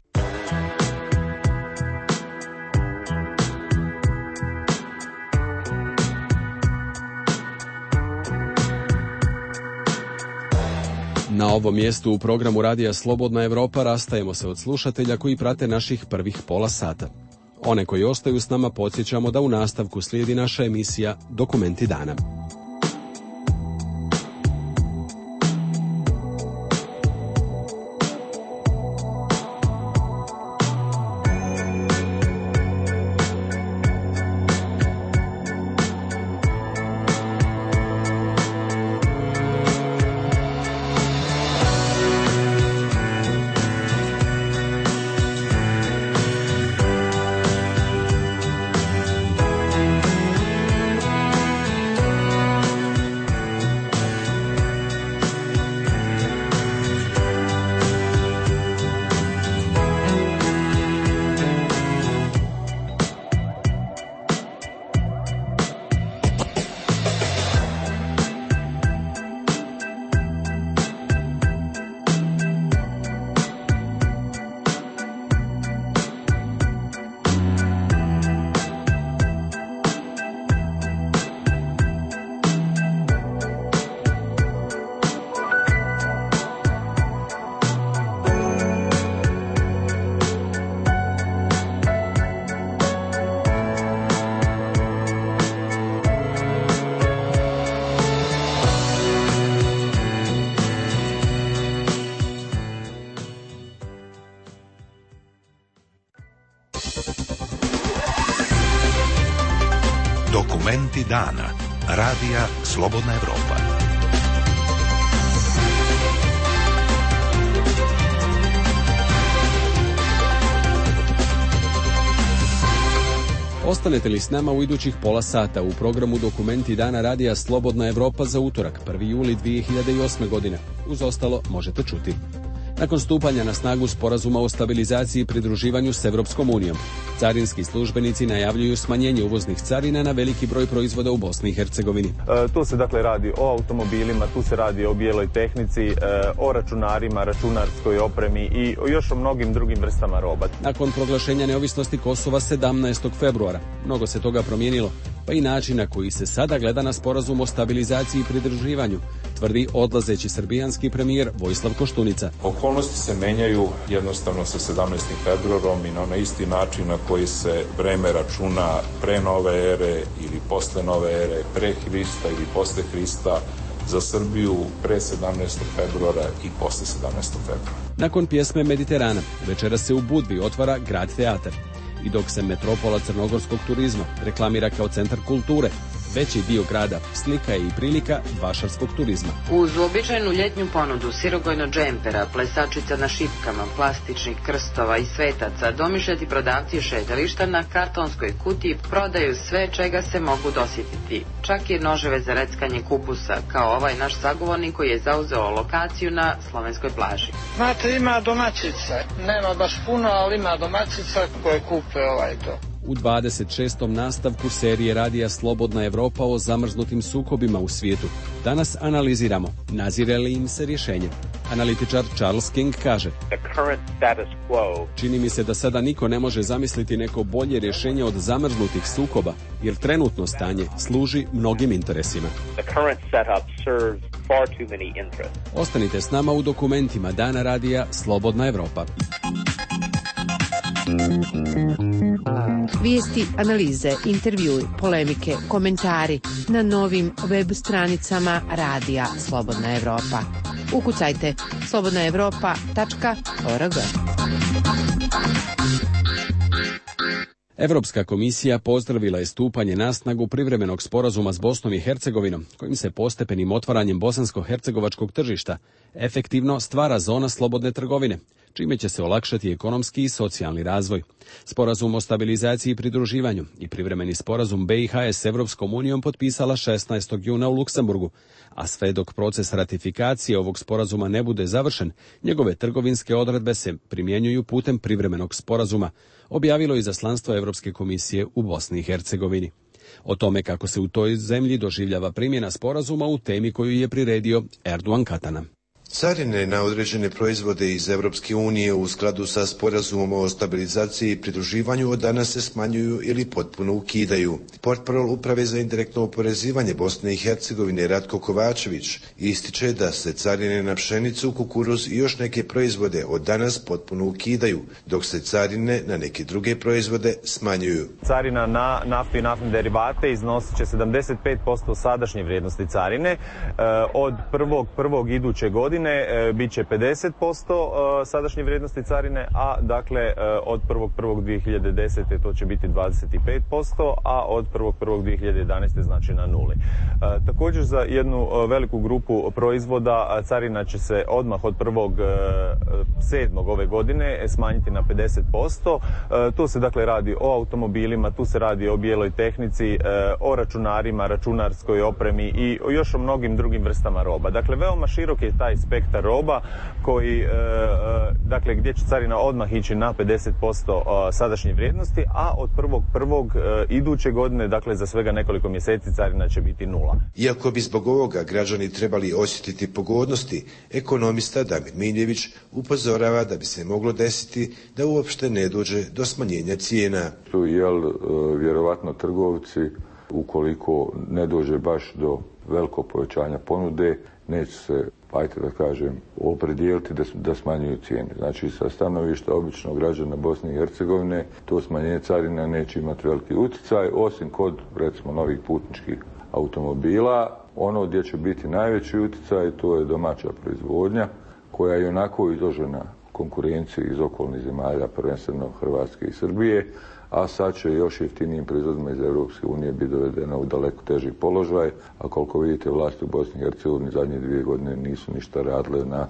Na ovom mjestu u programu Radija Slobodna Evropa rastajemo se od slušatelja koji prate naših prvih pola sata. One koji ostaju s nama podsjećamo da u nastavku slijedi naša emisija Dokumenti dana. Dokumenti dana. Radija Slobodna Evropa. Ostanete li s nama u idućih pola sata u programu Dokumenti dana Radija Slobodna Evropa za utorak, prvi juli dvije hiljade osme. godine. Uz ostalo možete čuti. Nakon stupanja na snagu sporazuma o stabilizaciji i pridruživanju s Evropskom unijom, carinski službenici najavljuju smanjenje uvoznih carina na veliki broj proizvoda u Bosni i Hercegovini. E, tu se dakle radi o automobilima, tu se radi o bijeloj tehnici, e, o računarima, računarskoj opremi i o još o mnogim drugim vrstama roba. Nakon proglašenja neovisnosti Kosova sedamnaestog februara, mnogo se toga promijenilo, pa i način na koji se sada gleda na sporazum o stabilizaciji i pridruživanju, tvrdi odlazeći srbijanski premijer Vojislav Koštunica. Okolnosti se menjaju jednostavno sa sedamnaestim februarom i na onaj isti način na koji se vreme računa pre nove ere ili posle nove ere, pre Hrista ili posle Hrista, za Srbiju pre sedamnaestog februara i posle sedamnaestog februara. Nakon pjesme Mediterana, večera se u Budvi otvara Grad teatar. I dok se metropola crnogorskog turizma reklamira kao centar kulture, veći dio grada slika je i prilika vašarskog turizma. Uz uobičajenu ljetnju ponudu sirogojno džempera, plesačica na šipkama, plastičnih krstova i svetaca, domišljati prodavci šetališta na kartonskoj kutiji prodaju sve čega se mogu dosjetiti. Čak i noževe za reckanje kupusa, kao ovaj naš sagovornik koji je zauzeo lokaciju na slovenskoj plaži. Znate, ima domaćica. Nema baš puno, ali ima domaćica koje kupe ovaj to. U dvadeset šestom nastavku serije Radija Slobodna Evropa o zamrznutim sukobima u svijetu danas analiziramo nazire li im se rješenje. Analitičar Charles King kaže: čini mi se da sada niko ne može zamisliti neko bolje rješenje od zamrznutih sukoba, jer trenutno stanje služi mnogim interesima. Ostanite s nama u dokumentima Dana Radija Slobodna Evropa. Vijesti, analize, intervjui, polemike, komentari na novim web stranicama Radija Slobodna Evropa. Ukucajte slobodna evropa tačka org. Evropska komisija pozdravila je stupanje na snagu privremenog sporazuma s Bosnom i Hercegovinom, kojim se postepenim otvaranjem bosansko-hercegovačkog tržišta efektivno stvara zona slobodne trgovine, čime će se olakšati ekonomski i socijalni razvoj. Sporazum o stabilizaciji i pridruživanju i privremeni sporazum B i H s Evropskom unijom potpisala šesnaestog juna u Luksemburgu, a sve dok proces ratifikacije ovog sporazuma ne bude završen, njegove trgovinske odredbe se primjenjuju putem privremenog sporazuma, objavilo izaslanstvo Evropske komisije u Bosni i Hercegovini. O tome kako se u toj zemlji doživljava primjena sporazuma u temi koju je priredio Erdogan Katana. Carine na određene proizvode iz Evropske unije u skladu sa sporazumom o stabilizaciji i pridruživanju od danas se smanjuju ili potpuno ukidaju. Portparol Uprave za indirektno oporezivanje Bosne i Hercegovine Ratko Kovačević ističe da se carine na pšenicu, kukuruz i još neke proizvode od danas potpuno ukidaju, dok se carine na neke druge proizvode smanjuju. Carina na naftu i naftne derivate iznosit će sedamdeset pet posto sadašnje vrijednosti carine. Od prvog prvog iduće godine bit će pedeset posto sadašnje vrijednosti carine, a dakle od prvog prvog dvije hiljade desete to će biti dvadeset pet posto, a od prvog prvog dvije hiljade jedanaeste znači na nuli. Također za jednu veliku grupu proizvoda carina će se odmah od prvog sedmog ove godine smanjiti na pedeset posto. Tu se dakle radi o automobilima, tu se radi o bijeloj tehnici, o računarima, računarskoj opremi i o još o mnogim drugim vrstama roba. Dakle, veoma širok je taj spektar roba koji, dakle, gdje će carina odmah ići na pedeset posto sadašnje vrijednosti, a od prvog prvog iduće godine, dakle za svega nekoliko mjeseci, carina će biti nula. Iako bi zbog ovoga građani trebali osjetiti pogodnosti, ekonomista Damir Miljević upozorava da bi se moglo desiti da uopšte ne dođe do smanjenja cijena. Jel, vjerovatno trgovci, ukoliko ne dođe baš do velikog povećanja ponude, neće se, ajte da kažem, opredijeliti da, da smanjuju cijene. Znači, sa stanovišta običnog građana Bosne i Hercegovine, to smanjenje carina neće imati veliki utjecaj, osim kod, recimo, novih putničkih automobila. Ono gdje će biti najveći utjecaj, to je domaća proizvodnja, koja je onako izložena konkurenciju iz okolnih zemalja, prvenstveno Hrvatske i Srbije, a sad će još jeftinijim proizvodima iz Europske unije biti dovedena u daleko teži položaj, a koliko vidite vlasti u Bosni i Hercegovini zadnje dvije godine nisu ništa radile na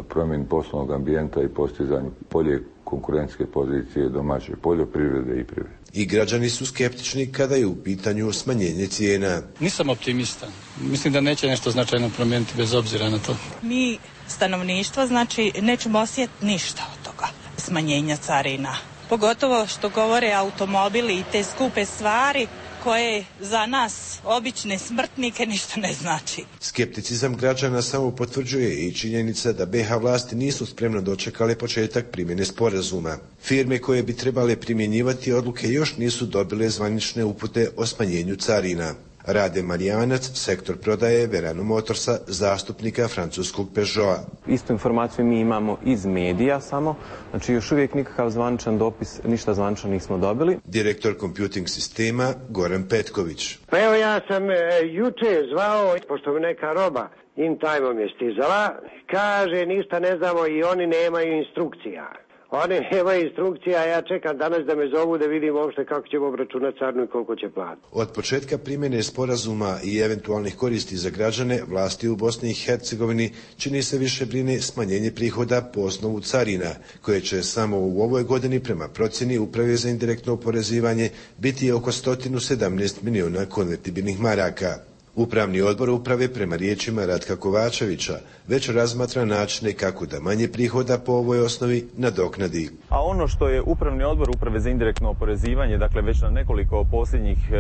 promjeni poslovnog ambijenta i postizanju bolje konkurentske pozicije domaće poljoprivrede i privrede. I građani su skeptični kada je u pitanju smanjenje cijena. Nisam optimista. Mislim da neće nešto značajno promijeniti bez obzira na to. Mi, stanovništvo, znači nećemo osjetiti ništa od toga smanjenja carina. Pogotovo što govore automobili i te skupe stvari koje za nas, obične smrtnike, ništa ne znači. Skepticizam građana samo potvrđuje i činjenica da be ha vlasti nisu spremno dočekale početak primjene sporazuma. Firme koje bi trebale primjenjivati odluke još nisu dobile zvanične upute o smanjenju carina. Rade Marijanac, sektor prodaje Verano Motorsa, zastupnika francuskog Peugeota. Istu informaciju mi imamo iz medija samo, znači još uvijek nikakav zvaničan dopis, ništa zvanično nismo dobili. Direktor computing sistema Goran Petković. Pa evo ja sam e, juče zvao, pošto mi neka roba in time-om je stizala, kaže ništa ne znamo i oni nemaju instrukcija. Oni nemaju instrukcija, ja čekam danas da me zovu da vidim uopšte kako ćemo obračunati carinu i koliko će platiti. Od početka primjene sporazuma i eventualnih koristi za građane, vlasti u Bosni i Hercegovini čini se više brine smanjenje prihoda po osnovu carina, koje će samo u ovoj godini prema procjeni Uprave za indirektno oporezivanje biti oko sto sedamnaest miliona konvertibilnih maraka. Upravni odbor uprave, prema riječima Ratka Kovačevića, već razmatra načine kako da manje prihoda po ovoj osnovi nadoknadi. A ono što je Upravni odbor Uprave za indirektno oporezivanje, dakle već na nekoliko posljednjih e,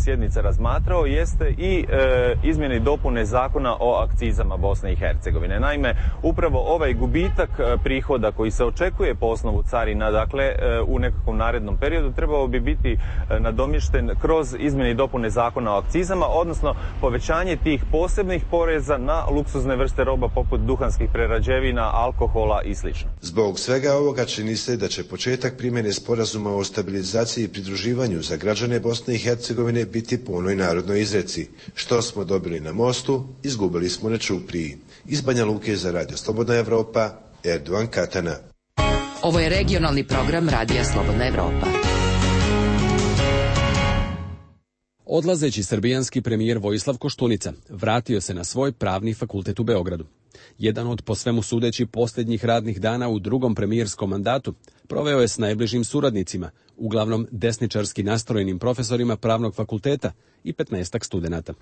sjednica razmatrao, jeste i e, izmjene i dopune zakona o akcizama Bosne i Hercegovine. Naime, upravo ovaj gubitak prihoda koji se očekuje po osnovu carina, dakle e, u nekakvom narednom periodu, trebao bi biti e, nadomješten kroz izmjene i dopune zakona o akcizama, odnosno povećanje tih posebnih poreza na luksuzne vrste roba poput duhanskih prerađevina, alkohola i sl. Zbog svega ovoga čini se da će početak primjene sporazuma o stabilizaciji i pridruživanju za građane Bosne i Hercegovine biti po onoj narodnoj izreci. Što smo dobili na mostu, izgubili smo na čupriji. Iz Banja Luke za Radio Slobodna Evropa, Erdovan Katana. Ovo je regionalni program Radija Slobodna Evropa. Odlazeći srbijanski premijer Vojislav Koštunica vratio se na svoj pravni fakultet u Beogradu. Jedan od po svemu sudeći posljednjih radnih dana u drugom premijerskom mandatu proveo je s najbližim suradnicima, uglavnom desničarski nastrojenim profesorima pravnog fakulteta i petnaestak studenata.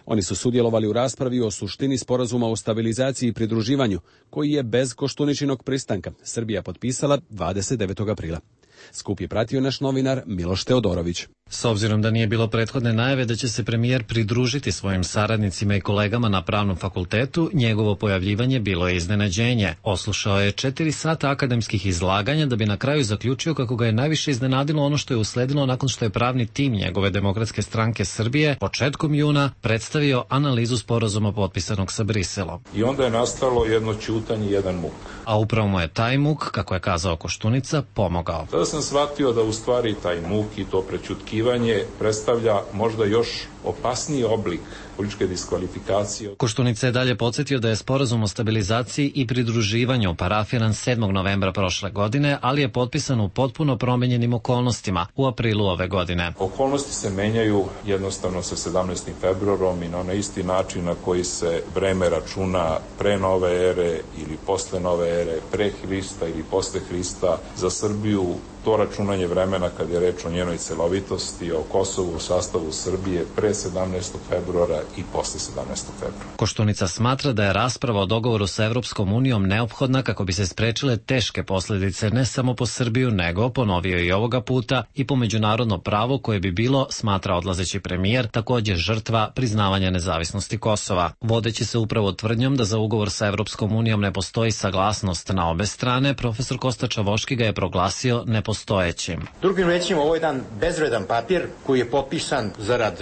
Oni su sudjelovali u raspravi o suštini sporazuma o stabilizaciji i pridruživanju, koji je bez Koštuničinog pristanka Srbija potpisala dvadeset devetog aprila. Skup je pratio naš novinar Miloš Teodorović. S obzirom da nije bilo prethodne najave da će se premijer pridružiti svojim saradnicima i kolegama na pravnom fakultetu, njegovo pojavljivanje bilo je iznenađenje. Oslušao je četiri sata akademskih izlaganja da bi na kraju zaključio kako ga je najviše iznenadilo ono što je usledilo nakon što je pravni tim njegove Demokratske stranke Srbije početkom juna predstavio analizu sporazuma potpisanog sa Briselom. I onda je nastalo jedno ćutanje i jedan muk. A upravo mu je taj muk, kako je kazao Koštunica, pomogao. Tada sam shvatio da u stvari taj muk i to prećutkivanje predstavlja možda još opasniji oblik političke diskvalifikacije. Koštunica je dalje podsjetio da je sporazum o stabilizaciji i pridruživanju parafiran sedmog novembra prošle godine, ali je potpisan u potpuno promenjenim okolnostima u aprilu ove godine. Okolnosti se menjaju jednostavno sa sedamnaestim februarom i na onaj isti način na koji se vreme računa pre nove ere ili posle nove ere, pre Hrista ili posle Hrista. Za Srbiju to računanje vremena kad je reč o njenoj celovitosti, o Kosovu u sastavu Srbije pre sedamnaestog februara i posle sedamnaestog februara. Koštunica smatra da je rasprava o dogovoru sa Evropskom unijom neophodna kako bi se sprečile teške posljedice ne samo po Srbiju, nego, ponovio i ovoga puta, i po međunarodno pravo koje bi bilo, smatra odlazeći premijer, također žrtva priznavanja nezavisnosti Kosova. Vodeći se upravo tvrdnjom da za ugovor sa Evropskom unijom ne postoji saglasnost na obe strane, profesor Kosta Čavoški ga je proglasio nepostojećim nepostojećim. Drugim rečima, ovo je jedan bezvredan papir koji je potpisan zarad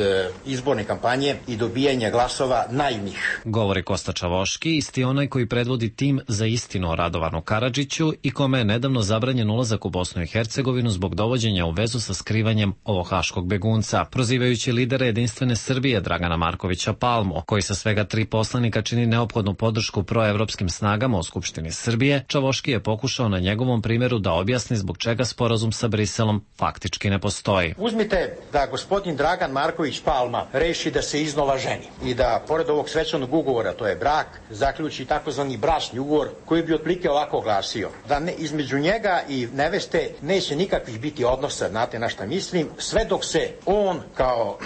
izborne kampanje i dobijanja glasova naivnih. Govori Kosta Čavoški, isti onaj koji predvodi tim za istinu o Radovanu Karadžiću i kome je nedavno zabranjen ulazak u Bosnu i Hercegovinu zbog dovođenja u vezu sa skrivanjem ovog haškog begunca. Prozivajući lidera Jedinstvene Srbije Dragana Markovića Palmu, koji sa svega tri poslanika čini neophodnu podršku proevropskim snagama u Skupštini Srbije, Čavoški je pokušao na njegovom primjeru da objasni zbog čega sporazum sa Briselom faktički ne postoji. Uzmite da gospodin Dragan Marković Palma reši da se iznova ženi i da pored ovog svečanog ugovora, to je brak, zaključi takozvani bračni ugovor koji bi otprilike ovako glasio. Da ne, između njega i neveste neće nikakvih biti odnosa, znate na šta mislim, sve dok se on kao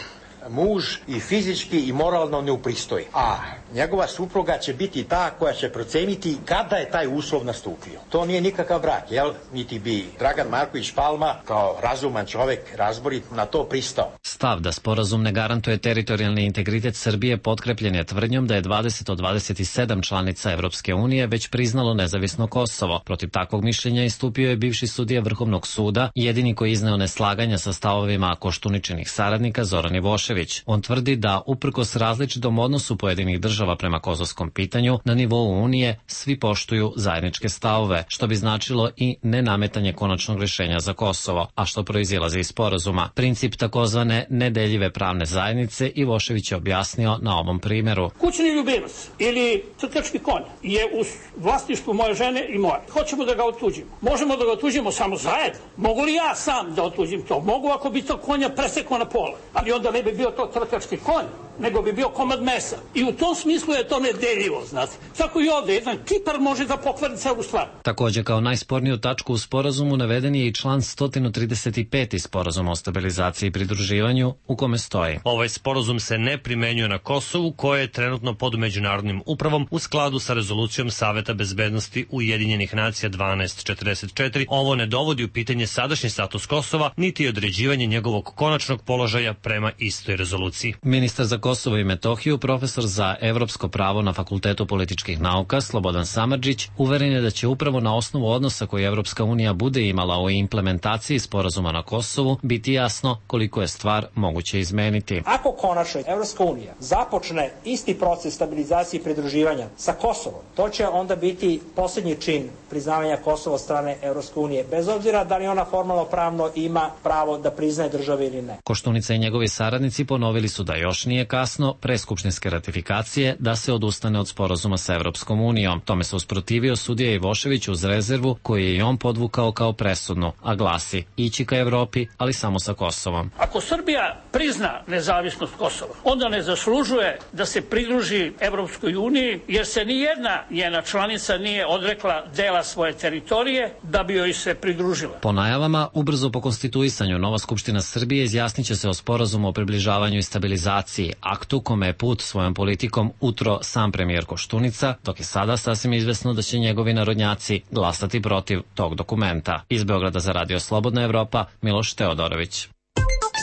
muž i fizički i moralno ne upristoji. A njegova supruga će biti ta koja će proceniti kada je taj uslov nastupio. To nije nikakav brak, jel? Niti bi Dragan Marković Palma kao razuman čovek, razborit, na to pristao. Stav da sporazum ne garantuje teritorijalni integritet Srbije potkrepljen je tvrdnjom da je dvadeset od dvadeset sedam članica Evropske unije već priznalo nezavisno Kosovo. Protiv takvog mišljenja istupio je bivši sudija Vrhovnog suda, jedini koji izneo neslaganja sa stavovima Koštuničinih saradnika Zoran Ivošević. On tvrdi da, uprkos različitom odnosu pojedinih država prema kosovskom pitanju, na nivou Unije svi poštuju zajedničke stavove, što bi značilo i nenametanje konačnog rješenja za Kosovo, a što proizilazi iz sporazuma. Princip takozvane nedeljive pravne zajednice Ivošević je objasnio na ovom primjeru. Kućni ljubimac ili crtački konj je u vlasništvu moje žene i moje. Hoćemo da ga otuđimo. Možemo da ga otuđimo samo zajedno. Mogu li ja sam da otuđim to? Mogu ako bi to konja presekao na pola, ali onda ne bi bio to trkački konj, nego bi bio komad mesa. I u tom smislu je to nedeljivo, znate. Tako i ovdje, jedan kipar može da pokvari celu stvar. Također kao najsporniju tačku u sporazumu naveden je i član sto trideset pet sporazuma o stabilizaciji i pridruživanju, u kome stoji: ovaj sporazum se ne primenjuje na Kosovu, koje je trenutno pod međunarodnim upravom u skladu sa rezolucijom Saveta bezbednosti Ujedinjenih nacija dvanaest četrdeset četiri. Ovo ne dovodi u pitanje sadašnji status Kosova, niti određivanje njegovog konačnog položaja prema istoj rezoluciji. Ministar za Kosovo i Metohiju, profesor za evropsko pravo na Fakultetu političkih nauka Slobodan Samardžić uveren je da će upravo na osnovu odnosa koji Evropska unija bude imala o implementaciji sporazuma na Kosovu biti jasno koliko je stvar moguće izmeniti. Ako konačno Evropska unija započne isti proces stabilizacije i pridruživanja sa Kosovom, to će onda biti posljednji čin priznavanja Kosova od strane Evropske unije, bez obzira da li ona formalno pravno ima pravo da priznaje države ili ne. Koštunica i njegovi saradnici ponovili su da još nije kasno pre skupštinske ratifikacije da se odustane od sporazuma sa Evropskom unijom. Tome se usprotivio sudija Ivošević uz rezervu koju je i on podvukao kao presudnu, a glasi: ići ka Evropi, ali samo sa Kosovom. Ako Srbija prizna nezavisnost Kosova, onda ne zaslužuje da se pridruži Evropskoj uniji, jer se ni jedna njena članica nije odrekla dela svoje teritorije da bi joj se pridružila. Po najavama, ubrzo po konstituisanju, nova Skupština Srbije izjasnit će se o sporazumu o približavanju i stabilizaciji, aktu kome je put svojom politikom utro sam premijer Koštunica, dok je sada sasvim izvesno da će njegovi narodnjaci glasati protiv tog dokumenta. Iz Beograda za Radio Slobodna Evropa, Miloš Teodorović.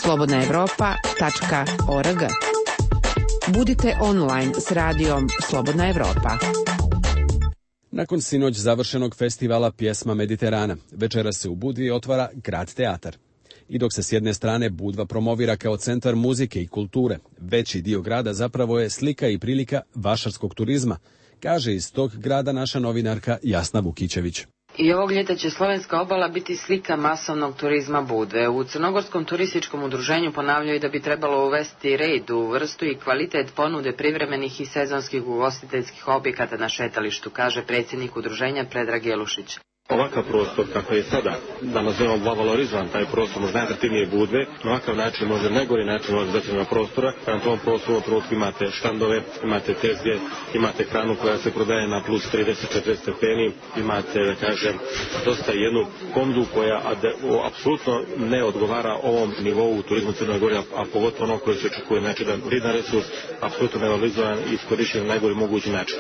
slobodna evropa tačka org. Budite online s radijom Slobodna Evropa. Nakon sinoć završenog festivala Pjesma Mediterana, večeras se u Budvi otvara Grad teatar. I dok se s jedne strane Budva promovira kao centar muzike i kulture, veći dio grada zapravo je slika i prilika vašarskog turizma, kaže iz tog grada naša novinarka Jasna Vukićević. I ovog ljeta će slovenska obala biti slika masovnog turizma Budve. U Crnogorskom turističkom udruženju ponavljaju da bi trebalo uvesti red u vrstu i kvalitet ponude privremenih i sezonskih ugostiteljskih objekata na šetalištu, kaže predsjednik udruženja Predrag Jelušić. Ovakav prostor kako je sada, da nazovemo valorizovan taj prostor, možda najatraktivnije Budve, na ovakav način može najgori način organizacijnog prostora, pa na tom prostoru u trenutku imate štandove, imate tezge, imate hranu koja se prodaje na plus trideset do četrdeset stepeni, imate, da kažem, dosta jednu ponudu koja apsolutno ne odgovara ovom nivou turizmu Crnoj Gori, a pogotovo ono koje se očekuje, znači da vrijedan resurs apsolutno nevalorizovan i iskorišćen na najgori mogući način.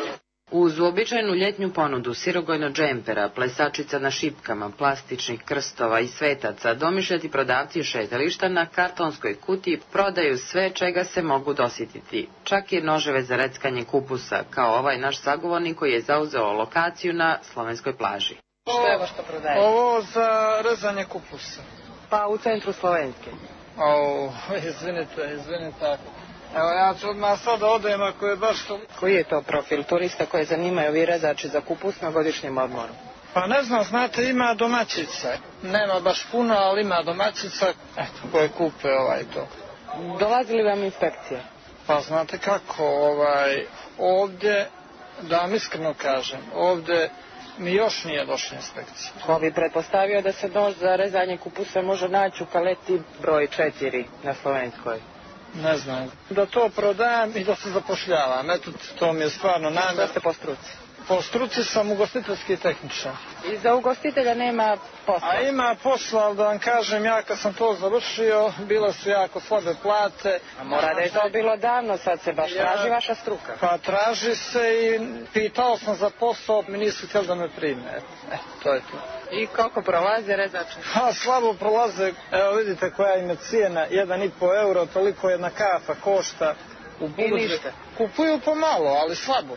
Uz uobičajenu ljetnju ponudu sirogojno džempera, plesačica na šipkama, plastičnih krstova i svetaca, domišljati prodavci šetališta na kartonskoj kutiji prodaju sve čega se mogu dosjetiti. Čak i noževe za reckanje kupusa, kao ovaj naš sagovornik koji je zauzeo lokaciju na slovenskoj plaži. Što je ovo što prodajete? Ovo za rezanje kupusa. Pa u centru Slovenske. O, izvinite, izvinite. Evo ja ću odmah sad odem ako je baš to... Koji je to profil turista koje zanimaju ovi rezači za kupus na godišnjem odmoru? Pa ne znam, znate, ima domaćica. Nema baš puno, ali ima domaćica, eto, koje kupe ovaj to. Dolazi li vam inspekcija? Pa znate kako, ovaj, ovdje, da vam iskreno kažem, ovdje mi još nije došla inspekcija. Ko bi pretpostavio da se nož za rezanje kupusa može naći u paleti broj četiri na Slovenskoj? Ne znam. Da to prodajem i da se zapošljavam. Eto, to mi je stvarno namjer. Što ste po struci? Po struci sam ugostiteljski tehničar. I za ugostitelja nema posla? A ima posla, ali da vam kažem, ja kad sam to završio, bile su jako slabe plate. A mora da je to bilo davno, sad se baš ja, traži vaša struka. Pa traži se i pitao sam za posao, mi nisu htjeli da me prime. E, to je to. I koliko prolaze rezače? Ha, slabo prolaze. Evo vidite koja im je cijena, jedan i po euro, toliko jedna kafa košta. U I ništa? Kupuju pomalo, ali slabo.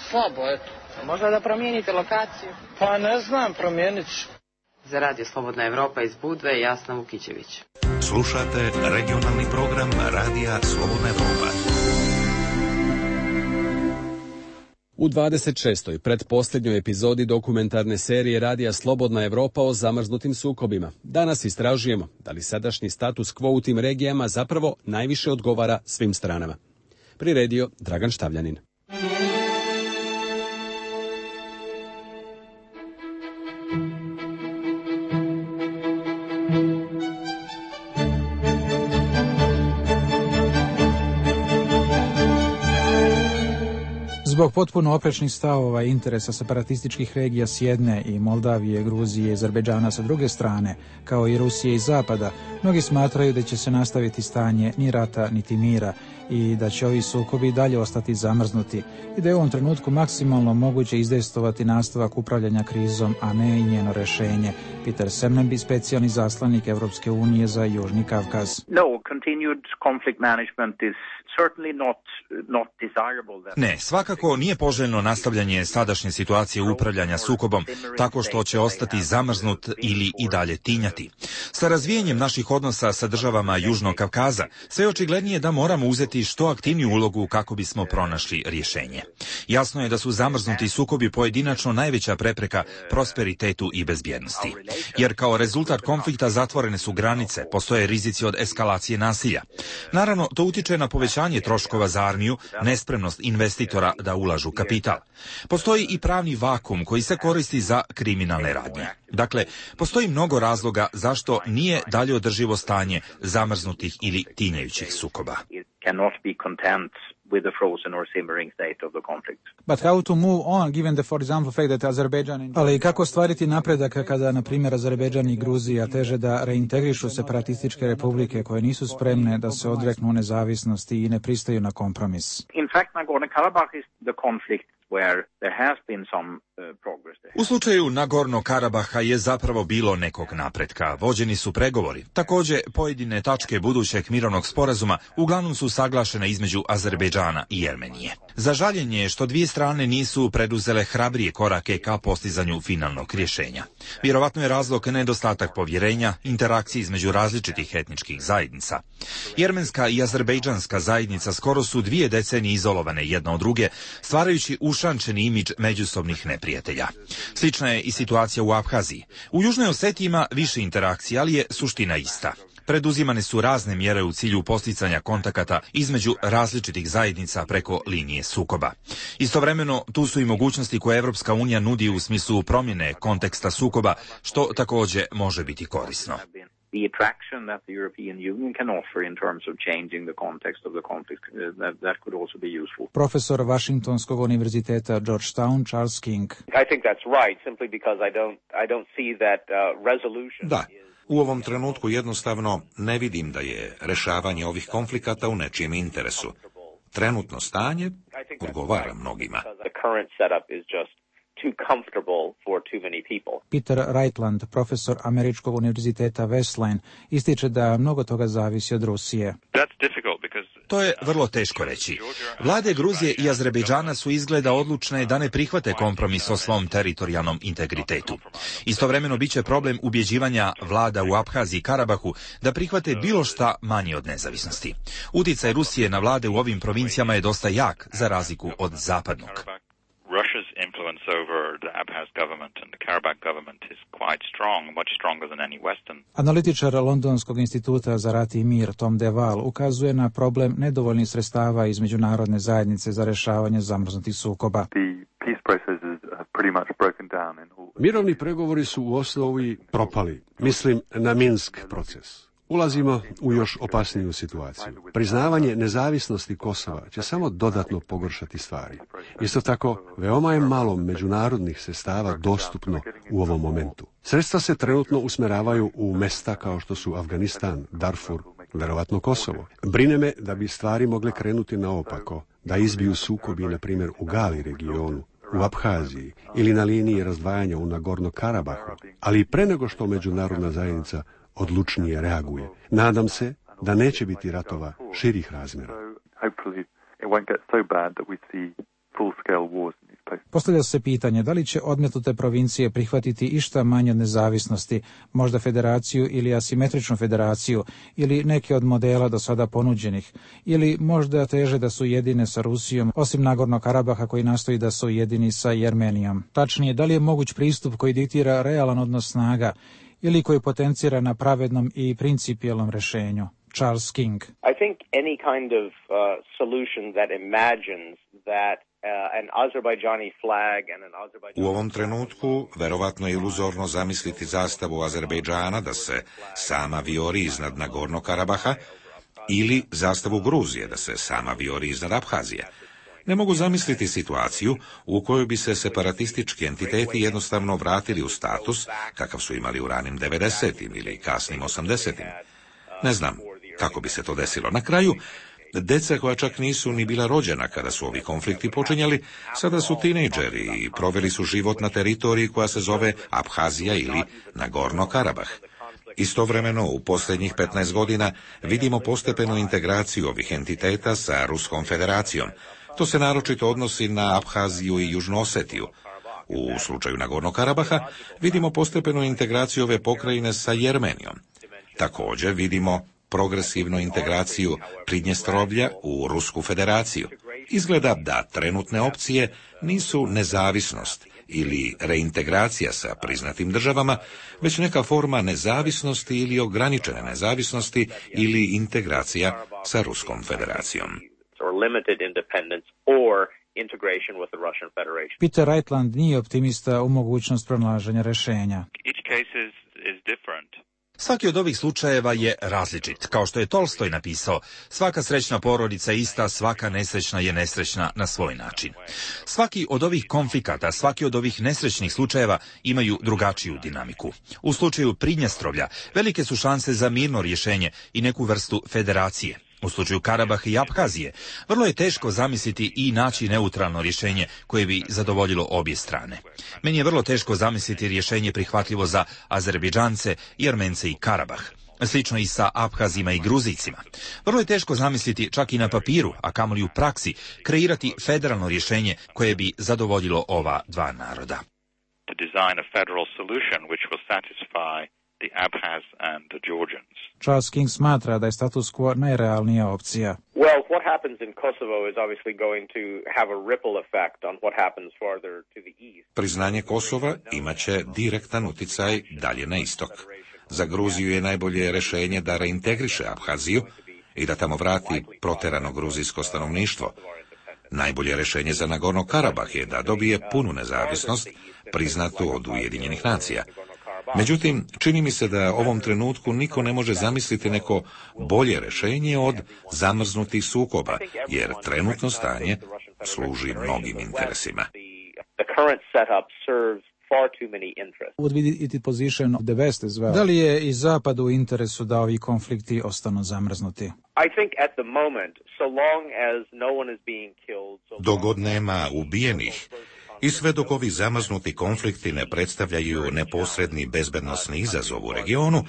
Slabo, eto. Možda da promijenite lokaciju? Pa ne znam, promijenit ću. Za Radio Slobodna Evropa iz Budve, Jasna Vukićević. Slušate regionalni program Radija Slobodna Evropa. U dvadeset šestoj pretposljednjoj epizodi dokumentarne serije Radija Slobodna Evropa o zamrznutim sukobima danas istražujemo da li sadašnji status quo u tim regijama zapravo najviše odgovara svim stranama. Priredio Dragan Štavljanin. Zbog potpuno oprečnih stavova i interesa separatističkih regija s jedne i Moldavije, Gruzije i Azerbejdžana sa druge strane, kao i Rusije i Zapada, mnogi smatraju da će se nastaviti stanje ni rata niti mira i da će ovi sukobi dalje ostati zamrznuti i da je u ovom trenutku maksimalno moguće izdejstovati nastavak upravljanja krizom, a ne i njeno rešenje. Peter Semneby, specijalni zaslanik Evropske unije za Južni Kavkaz. No, continued conflict management is certainly not not desirable. Ne, svakako nije poželjno nastavljanje sadašnje situacije upravljanja sukobom tako što će ostati zamrznut ili i dalje tinjati. Sa razvijenjem naših odnosa sa državama Južnog Kavkaza sve je očiglednije da moramo uzeti što aktivniju ulogu kako bismo pronašli rješenje. Jasno je da su zamrznuti sukobi pojedinačno najveća prepreka prosperitetu i bezbjednosti. Jer kao rezultat konflikta zatvorene su granice, postoje rizici od eskalacije nasilja. Naravno, to utiče na povećanje troškova za armiju, nespremnost investitora da ulažu kapital. Postoji i pravni vakum koji se koristi za kriminalne radnje. Dakle, postoji mnogo razloga zašto nije dalje održivo stanje zamrznutih ili tinjajućih sukoba. With the frozen or simmering state of the conflict. But how to move on, given the, for example, fact that Azerbaijan... Ali kako stvariti napredak kada, na primjer, Azerbejdžan i Gruzija teže da reintegrišu separatističke republike koje nisu spremne da se odreknu nezavisnosti i ne pristaju na kompromis? In fact, Nagorno-Karabakh is the conflict where there has been some uh, progress there. U slučaju Nagorno-Karabaha je zapravo bilo nekog napretka. Vođeni su pregovori. Također, pojedine tačke budućeg mirovnog sporazuma uglavnom su saglašene između Azerbejdžana i Jermenije. Za žaljenje je što dvije strane nisu preduzele hrabrije korake ka postizanju finalnog rješenja. Vjerovatno je razlog nedostatak povjerenja, interakcije između različitih etničkih zajednica. Jermenska i azerbejdžanska zajednica skoro su dvije decenije izolovane jedna od druge, stvarajući ušančeni imidž međusobnih neprijatelja. Slična je i situacija u Abhaziji. U Južnoj Osetiji ima više interakcija, ali je suština ista. Preduzimane su razne mjere u cilju posticanja kontakata između različitih zajednica preko linije sukoba. Istovremeno, tu su i mogućnosti koje Evropska unija nudi u smislu promjene konteksta sukoba, što također može biti korisno. The attraction that the European Union can offer in terms of changing the context of the conflict, uh, that, that could also be useful. Profesor Washingtonskog univerziteta Georgetown, Charles King. I think that's right, simply because I don't, I don't see that uh, resolution. Da. U ovom trenutku jednostavno ne vidim da je rešavanje ovih konflikata u nečijem interesu. Trenutno stanje odgovara mnogima. Peter Reitland, profesor Američkog univerziteta Wesleyan, ističe da mnogo toga zavisi od Rusije. That's difficult because To je vrlo teško reći. Vlade Gruzije i Azerbejdžana su izgleda odlučne da ne prihvate kompromis o svom teritorijalnom integritetu. Istovremeno biće problem ubjeđivanja vlada u Abhaziji i Karabahu da prihvate bilo šta manje od nezavisnosti. Uticaj Rusije na vlade u ovim provincijama je dosta jak, za razliku od zapadnog. Russia's influence over the Abkhaz government and the Karabakh government is quite strong, much stronger than any Western. Analitičar Londonskog instituta za rat i mir Tom DeVal ukazuje na problem nedovoljnih sredstava iz međunarodne zajednice za rješavanje zamrznutih sukoba. Mirovni pregovori su u osnovi propali. Mislim na Minsk proces. Ulazimo u još opasniju situaciju. Priznavanje nezavisnosti Kosova će samo dodatno pogoršati stvari. Isto tako, veoma je malo međunarodnih sredstava dostupno u ovom momentu. Sredstva se trenutno usmeravaju u mesta kao što su Afganistan, Darfur, verovatno Kosovo. Brine me da bi stvari mogle krenuti naopako, da izbiju sukobi, na primjer, u Gali regionu, u Abhaziji ili na liniji razdvajanja u Nagorno-Karabahu, ali i pre nego što međunarodna zajednica odlučnije reaguje. Nadam se da neće biti ratova širih razmjera. Postavlja se pitanje da li će odmetnute provincije prihvatiti išta manje od nezavisnosti, možda federaciju ili asimetričnu federaciju, ili neke od modela do sada ponuđenih, ili možda teže da su jedine sa Rusijom, osim Nagorno Karabaha koji nastoji da su jedini sa Jermenijom. Tačnije, da li je moguć pristup koji diktira realan odnos snaga, ili koji potencira na pravednom i principijelnom rješenju. Charles King. I think any kind of uh, solution that imagines that uh, an Azerbaijani flag and an Azerbaijani... U ovom trenutku verovatno je iluzorno zamisliti zastavu Azerbejdžana da se sama vijori iznad Nagorno Karabaha ili zastavu Gruzije da se sama vijori iznad Abhazije. Ne mogu zamisliti situaciju u kojoj bi se separatistički entiteti jednostavno vratili u status kakav su imali u ranim devedesetim ili kasnim osamdesetim. Ne znam kako bi se to desilo. Na kraju, deca koja čak nisu ni bila rođena kada su ovi konflikti počinjali, sada su tinejdžeri i proveli su život na teritoriji koja se zove Abhazija ili Nagorno Karabah. Istovremeno, u posljednjih petnaest godina vidimo postepenu integraciju ovih entiteta sa Ruskom federacijom. To se naročito odnosi na Abhaziju i Južnu Osetiju. U slučaju Nagorno Karabaha vidimo postepenu integraciju ove pokrajine sa Jermenijom. Također vidimo progresivnu integraciju Pridnjestrovlja u Rusku federaciju. Izgleda da trenutne opcije nisu nezavisnost ili reintegracija sa priznatim državama, već neka forma nezavisnosti ili ograničene nezavisnosti ili integracija sa Ruskom federacijom. Peter Reitland nije optimista u mogućnost pronalaženja rješenja. Svaki od ovih slučajeva je različit. Kao što je Tolstoj napisao, svaka srećna porodica je ista, svaka nesrećna je nesrećna na svoj način. Svaki od ovih konflikata, svaki od ovih nesrećnih slučajeva imaju drugačiju dinamiku. U slučaju Pridnjestrovlja velike su šanse za mirno rješenje i neku vrstu federacije. U slučaju Karabaha i Abhazije vrlo je teško zamisliti i naći neutralno rješenje koje bi zadovoljilo obje strane. Meni je vrlo teško zamisliti rješenje prihvatljivo za Azerbejdžance, Jermence i Karabah. Slično i sa Abhazima i Gruzijcima. Vrlo je teško zamisliti čak i na papiru, a kamoli u praksi, kreirati federalno rješenje koje bi zadovoljilo ova dva naroda. To design a federal solution which will satisfy the Abkhaz and the Georgians. Charles King smatra da je status quo najrealnija opcija. Well, what happens in Kosovo is obviously going to have a ripple effect on what happens farther to the east. Priznanje Kosova imaće direktan uticaj dalje na istok. Za Gruziju je najbolje rješenje da reintegriše Abhaziju i da tamo vrati proterano gruzijsko stanovništvo. Najbolje rješenje za Nagorno Karabah je da dobije punu nezavisnost, priznatu od Ujedinjenih nacija. Međutim, čini mi se da ovom trenutku niko ne može zamisliti neko bolje rješenje od zamrznutih sukoba, jer trenutno stanje služi mnogim interesima. Da li je i Zapadu u interesu da ovi konflikti ostanu zamrznuti? Dok god nema ubijenih I sve dok ovi zamrznuti konflikti ne predstavljaju neposredni bezbednosni izazov u regionu,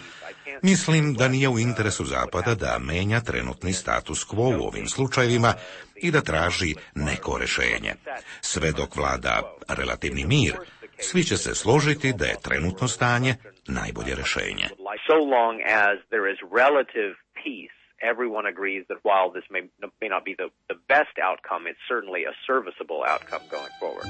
mislim da nije u interesu Zapada da menja trenutni status quo u ovim slučajevima i da traži neko rešenje. Sve dok vlada relativni mir, svi će se složiti da je trenutno stanje najbolje rešenje. So long as there is relative peace, everyone agrees that while this may, may not be the, the best outcome, it's certainly a serviceable outcome going forward.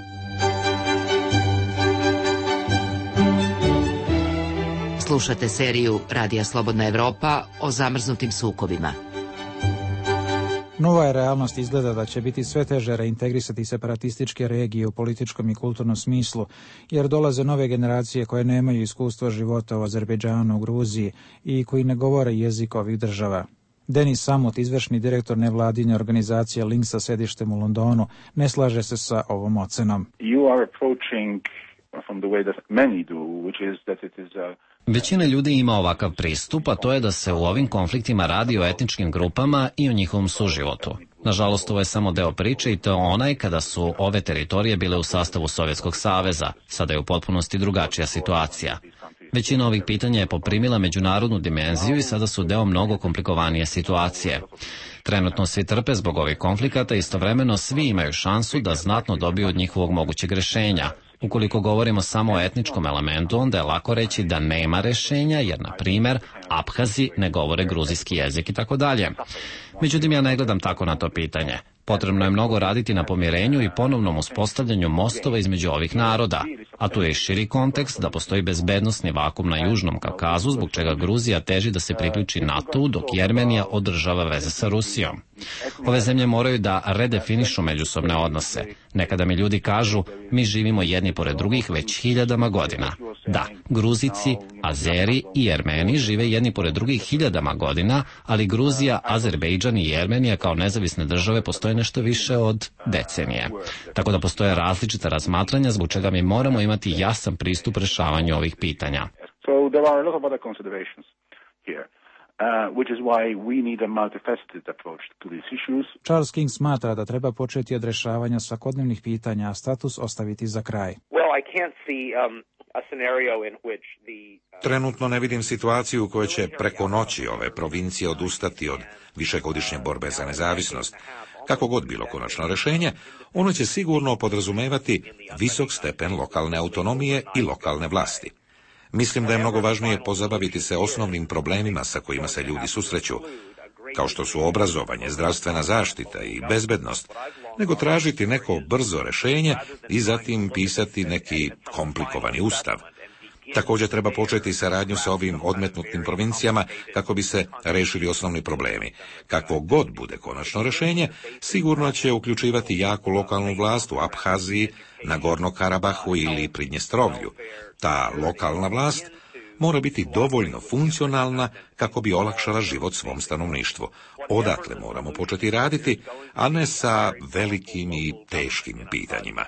Slušate seriju Radija Slobodna Evropa o zamrznutim sukobima. Nova je realnost izgleda da će biti sve teže reintegrisati separatističke regije u političkom i kulturnom smislu, jer dolaze nove generacije koje nemaju iskustva života u Azerbejdžanu, u Gruziji i koji ne govore jezik ovih država. Denis Samut, izvršni direktor nevladine organizacije Link sa sedištem u Londonu, ne slaže se sa ovom ocenom. You are approaching from the way that many do, which is that it is a Većina ljudi ima ovakav pristup, a to je da se u ovim konfliktima radi o etničkim grupama i o njihovom suživotu. Nažalost, ovo je samo deo priče i to je onaj kada su ove teritorije bile u sastavu Sovjetskog saveza. Sada je u potpunosti drugačija situacija. Većina ovih pitanja je poprimila međunarodnu dimenziju i sada su deo mnogo komplikovanije situacije. Trenutno svi trpe zbog ovih konflikata, istovremeno svi imaju šansu da znatno dobiju od njihovog mogućeg rešenja. Ukoliko govorimo samo o etničkom elementu, onda je lako reći da nema rešenja, jer, na primer, Abhazi ne govore gruzijski jezik i tako dalje. Međutim, ja ne gledam tako na to pitanje. Potrebno je mnogo raditi na pomirenju i ponovnom uspostavljanju mostova između ovih naroda, a tu je i širi kontekst da postoji bezbednosni vakum na Južnom Kavkazu, zbog čega Gruzija teži da se priključi NATO-u, dok Jermenija održava veze sa Rusijom. Ove zemlje moraju da redefinišu međusobne odnose. Nekada mi ljudi kažu, mi živimo jedni pored drugih već hiljadama godina. Da, Gruzici, Azeri i Jermeni žive jedni pored drugih hiljadama godina, ali Gruzija, Azerbejdžan i Jermenija kao nezavisne države postoje nešto više od decenije. Tako da postoje različita razmatranja, zbog čega mi moramo imati jasan pristup rešavanju ovih pitanja. So there are a lot of other considerations here. Uh, which is why we need a multifaceted approach to these issues. Charles King smatra da treba početi od rešavanja svakodnevnih pitanja, a status ostaviti za kraj. Well, I can't see um, a scenario in which the Trenutno ne vidim situaciju u kojoj će preko noći ove provincije odustati od višegodišnje borbe za nezavisnost. Kako god bilo konačno rešenje, ono će sigurno podrazumevati visok stepen lokalne autonomije i lokalne vlasti. Mislim da je mnogo važnije pozabaviti se osnovnim problemima sa kojima se ljudi susreću, kao što su obrazovanje, zdravstvena zaštita i bezbednost, nego tražiti neko brzo rešenje i zatim pisati neki komplikovani ustav. Također treba početi saradnju sa ovim odmetnutim provincijama kako bi se rešili osnovni problemi. Kakvo god bude konačno rešenje, sigurno će uključivati jaku lokalnu vlast u Abhaziji, Nagorno Karabahu ili Pridnjestrovlju. Ta lokalna vlast mora biti dovoljno funkcionalna kako bi olakšala život svom stanovništvu. Odatle moramo početi raditi, a ne sa velikim i teškim pitanjima.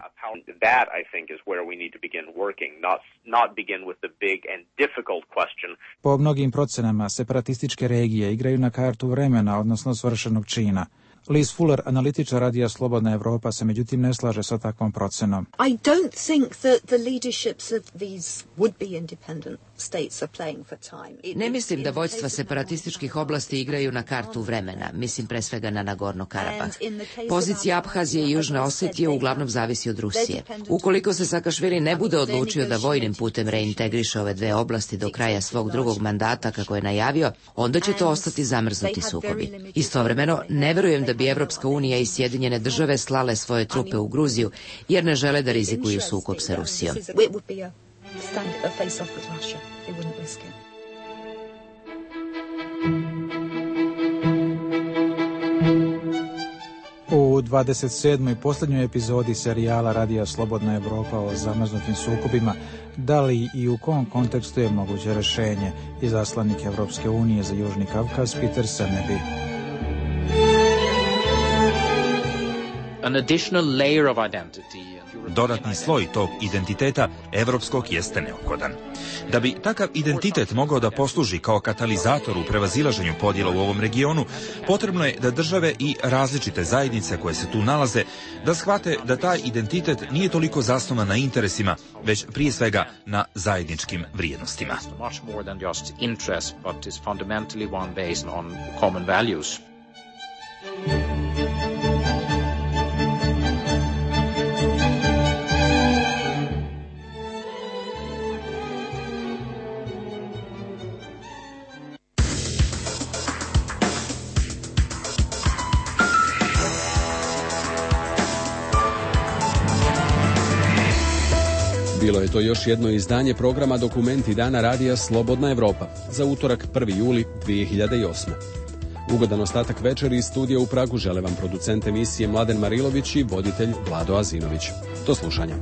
That, I think, is where we need to begin working, not, not begin with the big and difficult question. Po mnogim procenama, separatističke regije igraju na kartu vremena, odnosno svršenog čina. Liz Fuller, analitičar Radija Slobodna Evropa, se međutim ne slaže sa takvom procenom. I don't think that the leaderships of these would-be independent states are playing for time. Ne mislim da vođstva separatističkih oblasti igraju na kartu vremena, mislim pre svega na Nagorno Karabah. Pozicija Abhazije i Južne Osetije uglavnom zavisi od Rusije. Ukoliko se Sakašvili ne bude odlučio da vojnim putem reintegriše ove dve oblasti do kraja svog drugog mandata, kako je najavio, onda će to ostati zamrznuti sukobi. Istovremeno, ne verujem da bi Evropska unija i Sjedinjene države slale svoje trupe u Gruziju, jer ne žele da rizikuju sukob sa Rusijom. U dvadeset sedmoj posljednjoj epizodi serijala Radija Slobodna Evropa o zamrznutim sukobima, da li i u kom kontekstu je moguće rešenje, izaslanik Evropske unije za Južni Kavkaz Peter Semneby. an additional layer of identity. Dodatni sloj tog identiteta evropskog jeste neophodan. Da bi takav identitet mogao da posluži kao katalizator u prevazilaženju podjela u ovom regionu, potrebno je da države i različite zajednice koje se tu nalaze da shvate da taj identitet nije toliko zasnovan na interesima, već prije svega na zajedničkim vrijednostima. Much more than just interest, but is fundamentally one based on common values. Bilo je to još jedno izdanje programa Dokumenti dana radija Slobodna Evropa za utorak prvi juli dvije hiljade osme. Ugodan ostatak večeri iz studija u Pragu žele vam producent emisije Mladen Marilović i voditelj Vlado Azinović. Do slušanja.